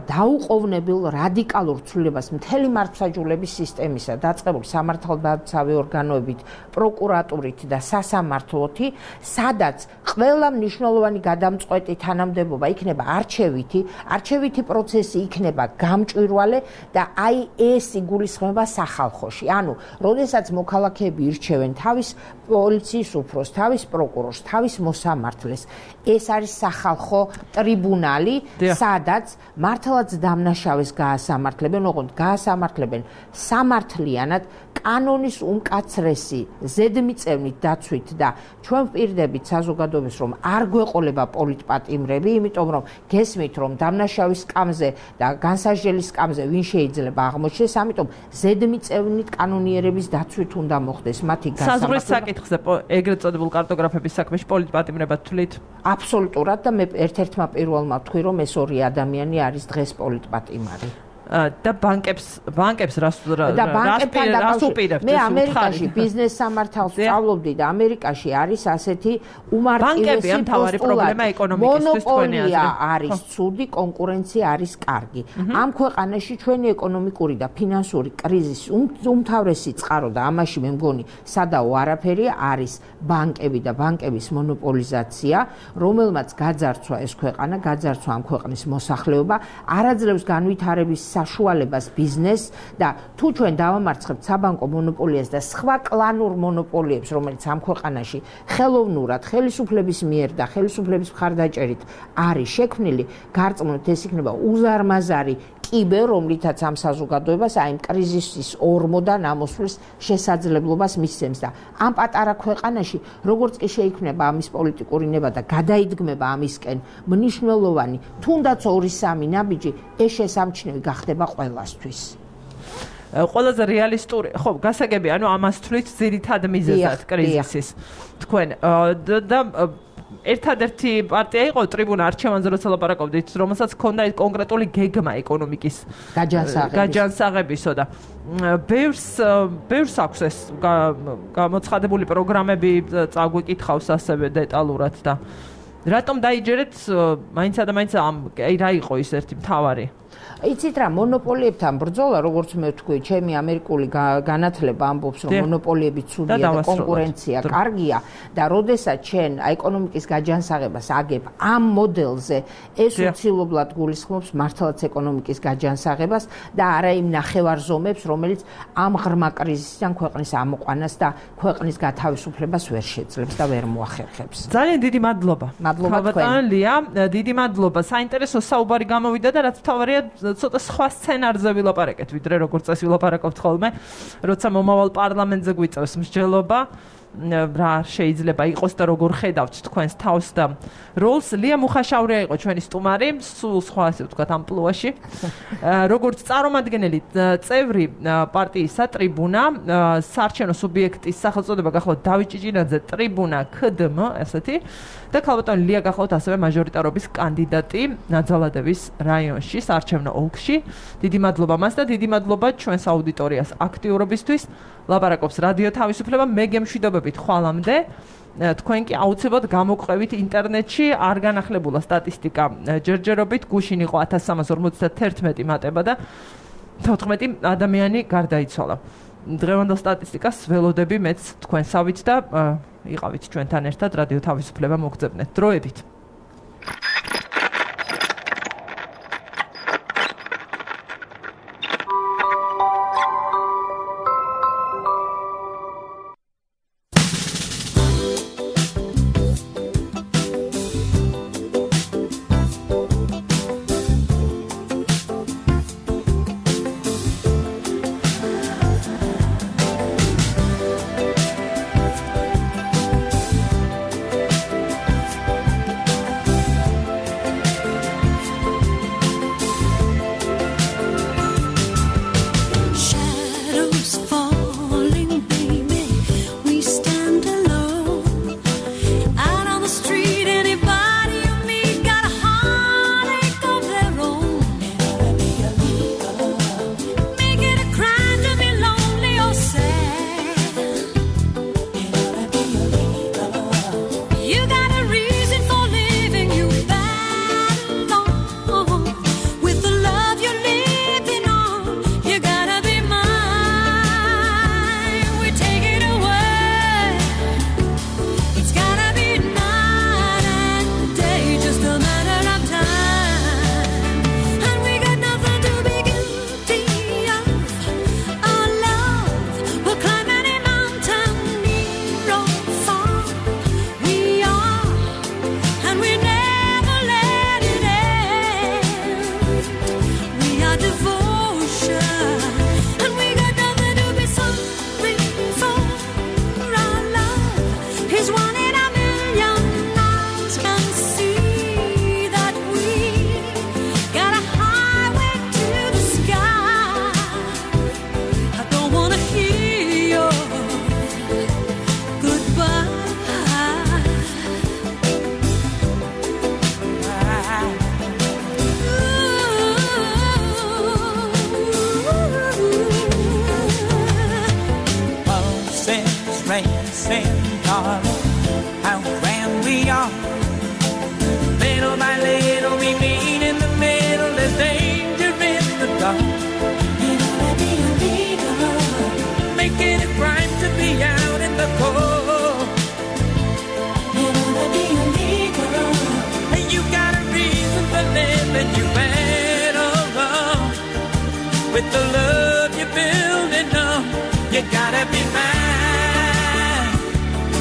დაუყოვნებელ რადიკალურ ცვლილებას მთელი მართლმსაჯულების სისტემისა, დაწყებული სამართალდაცავი ორგანოებით, პროკურატურით და სასამართლოთი, სადაც ყველა მნიშვნელოვანი გადამწყვეტი თანამდებობა იქნება არჩევითი პროცესი იქნება იქნება გამჭვირვალე და აი ეს იგულისხმება სახალხოში. ანუ, როდესაც მოქალაქეები ირჩევენ თავის პოლიციის უფროსს, თავის პროკურორს, თავის მოსამართლეს, ეს არის სახალხო ტრიბუნალი, სადაც მართლაც დამნაშავეს გაასამართლებენ, ოღონდ გაასამართლებენ სამართლიანად, კანონის უმკაცრესი ზედმიწევნით დაცვით და ჩვენ ვპირდებით საზოგადოებას, რომ არ გვეყოლება პოლიტპატიმრები, იმიტომ რომ გესმით, რომ დამნაშავის სკამზე და განსაჯელის სკამზე ვინ შეიძლება აღმოჩნდეს, ამიტომ ზედმიწევნით კანონიერების დაცვით უნდა მოხდეს მათი საზღვრის საკითხზე ეგრეთ წოდებულ კარტოგრაფების საქმეში პოლიტპატიმრებად თვლით? აბსოლუტურად და მე ერთ-ერთმა პირველმა ვთქვი, რომ ეს ორი ადამიანი არის დღეს პოლიტპატიმარი. და ბანკებს რას უპირებთ? მე ამერიკაში ბიზნეს სამართალს ვსწავლობდი და ამერიკაში არის ასეთი უმარტივესი პრობლემა ეკონომიკისთვის თქვენი აზრით. მონოპოლია არის ცუდი, კონკურენცია არის კარგი. ამ ქვეყანაში ჩვენი ეკონომიკური და ფინანსური კრიზისი უმთავრესი წყარო და ამაში მე მგონი სადაო არაფერია არის ბანკები და ბანკების მონოპოლიზაცია, რომელმაც გაძარცვა ეს ქვეყანა, გაძარცვა ამ ქვეყნის მოსახლეობა, არაძლევს განვითარების საშუალებას ბიზნესს და თუ ჩვენ დავამარცხებთ საბანკო მონოპოლიას და სხვა კლანურ მონოპოლიებს, რომელიც ამ ქვეყანაში ხელოვნურად, ხელისუფლების მიერ და ხელისუფლების მხარდაჭერით არის შექმნილი, გარწმუნოთ ეს იქნება უზარმაზარი კიბე, რომლითაც ამ საზოგადოებას აი კრიზისის ორმოდან ამოსვლის შესაძლებლობას მისცემს და ამ პატარა ქვეყანაში როგორც კი შეიქმნება ამის პოლიტიკური ნება და გადაიდგმება ამისკენ მნიშვნელოვანი, თუნდაც 2-3 ნაბიჯი, ეს შესამჩნევი გახდება ყველასთვის. ყველაზე რეალისტური, ხო, გასაგები, ანუ ამას თვლით ძირითად მიზეზად კრიზისის. თქვენ და ერთადერთი პარტია იყო ტრიბუნა არჩევანზე როცა ლაპარაკობდით, რომელსაც ჰქონდა კონკრეტული გეგმა ეკონომიკის გაჯანსაღებისო და ბევრს აქვს ეს გამოცხადებული პროგრამები, წაგვიკითხავს ასევე დეტალურად და რატომ დაიჯერეთ მაინცა და მაინც რა იყო ის ერთი მთავარი? იცით რა, მონოპოლიებთან ბრძოლა, როგორც მე ვთქვი, ჩემი ამერიკული განათლება ამბობს, რომ მონოპოლიები ცუდია და კონკურენცია კარგია და როდესაც ჩვენ ეკონომიკის გაჯანსაღებას აგებ ამ მოდელზე, ეს უცილებლად გულისხმობს მართლაც ეკონომიკის გაჯანსაღებას და არა იმ ნახევარზომებს, რომელიც ამ ღრმა კრიზისიდან ქვეყნის ამოყვანას და ქვეყნის გათავისუფლებას ვერ შეძლებს და ვერ მოახერხებს. ძალიან დიდი მადლობა. მადლობა თქვენ. ლია, დიდი მადლობა. საინტერესო საუბარი გამოვიდა და რაც თავარია ცოტა სხვა სცენარზე ვილაპარაკეთ, ვიდრე როგორც წესი ვილაპარაკობთ ხოლმე, როცა მომავალ პარლამენტზე გვიწევს მსჯელობა, რა შეიძლება იყოს და როგორ ხედავთ თქვენს თავს და როლს. ლია მუხაშავრია იყო ჩვენი სტუმარი, სულ სხვა ასე ვთქვათ ამპლუაში. როგორც წარმომადგენელი წევრი პარტიისა ტრიბუნა, საარჩევნო სუბიექტის სახელწოდება გახლავთ დავით ჭიჭინაძე, ტრიბუნა KDM, ასეთი. და ქალბატონი ლია გახლავთ ასევე მაჟორიტარობის კანდიდატი ნაძალადევის რაიონში, საარჩევნო ოლქში. დიდი მადლობა მას და დიდი მადლობა ჩვენს აუდიტორიას აქტიურობისთვის. ლაპარაკობს რადიო თავისუფლება, მე გემშვიდობებით ხვალამდე. თქვენ კი აუცილებლად გამოგვყევით ინტერნეტში, არ განახლებულა სტატისტიკა ჯერჯერობით, გუშინ იყო 1351 მატება და 14 ადამიანი გარდაიცვალა. დღევანდელ სტატისტიკას ველოდები მეც თქვენსავით და იყავით ჩვენთან ერთად რადიო თავისუფლება მოგწებნეთ. დროებით.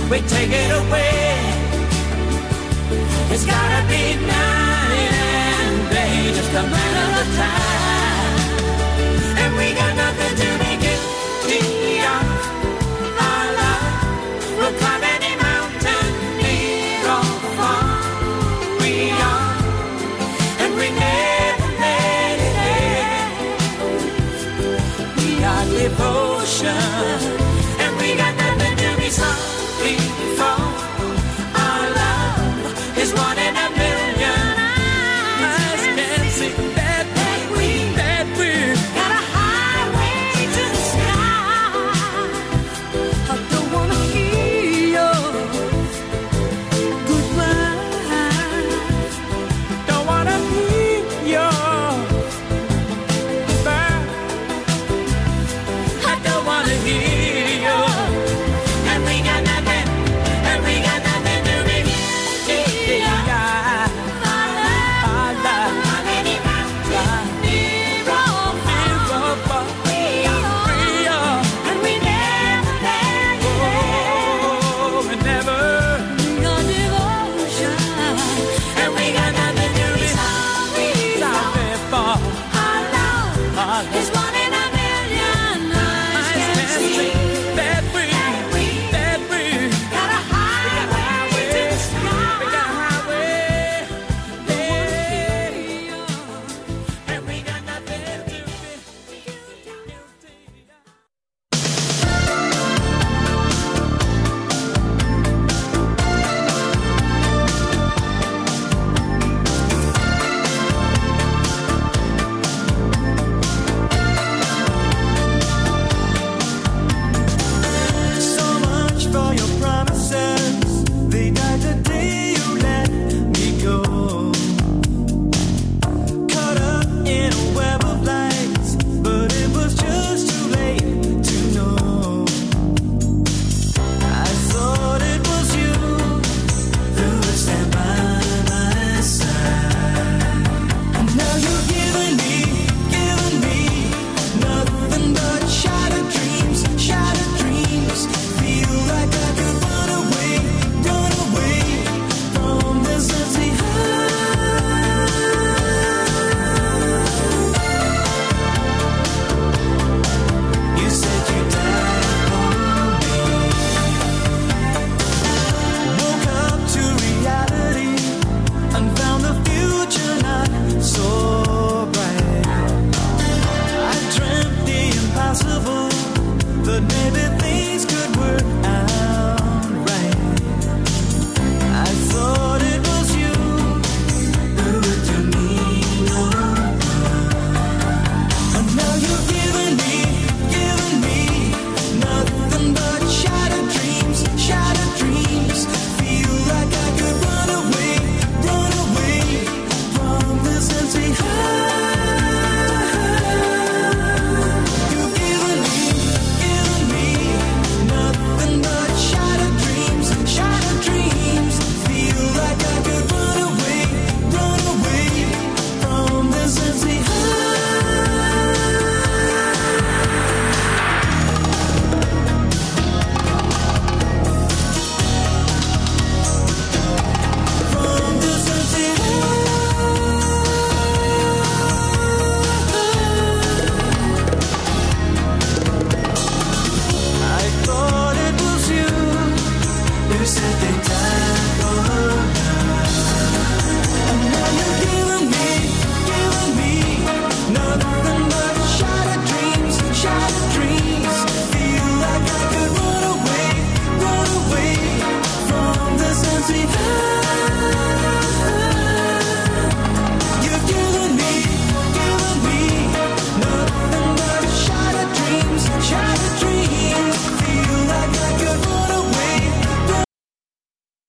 we take it away. It's gotta be night and day, just a matter of time. And we got nothing to be guilty of. Our love will climb any mountain, near or far. We are, and we never let it end. We are devotion, and we got nothing to be sorry for. Our love is one in a million. Eyes can see that we got a highway to the sky. I don't wanna hear your goodbye. Don't wanna hear your goodbye. I don't wanna hear your. And we got nothing to be. Our love, on any mountain, near or far. We are, and we never let it end. We never. We are devotion, and we got nothing to be sorry for. Our love is one in a million. Eyes can see that we got a highway to the sky. We got a highway, and we got nothing to be guilty. So much for your promises. They died the day you let me go. Caught up in a web of lies, but it was just too late to know. I thought it was you who would stand by my side. And now you've given me nothing but shattered dreams. Feel like I could run away from this empty heart. You said you died for me. Woke up to reality and found the future not so bright. I dreamt the impossible, but maybe things could work out right. I thought it was you who would do me no harm. And now you've given me nothing but shattered dreams. Feel like I could run away from this empty heart. You've given me nothing but shattered dreams. Feel like I could run away from this empty I thought it was you who said they died for love.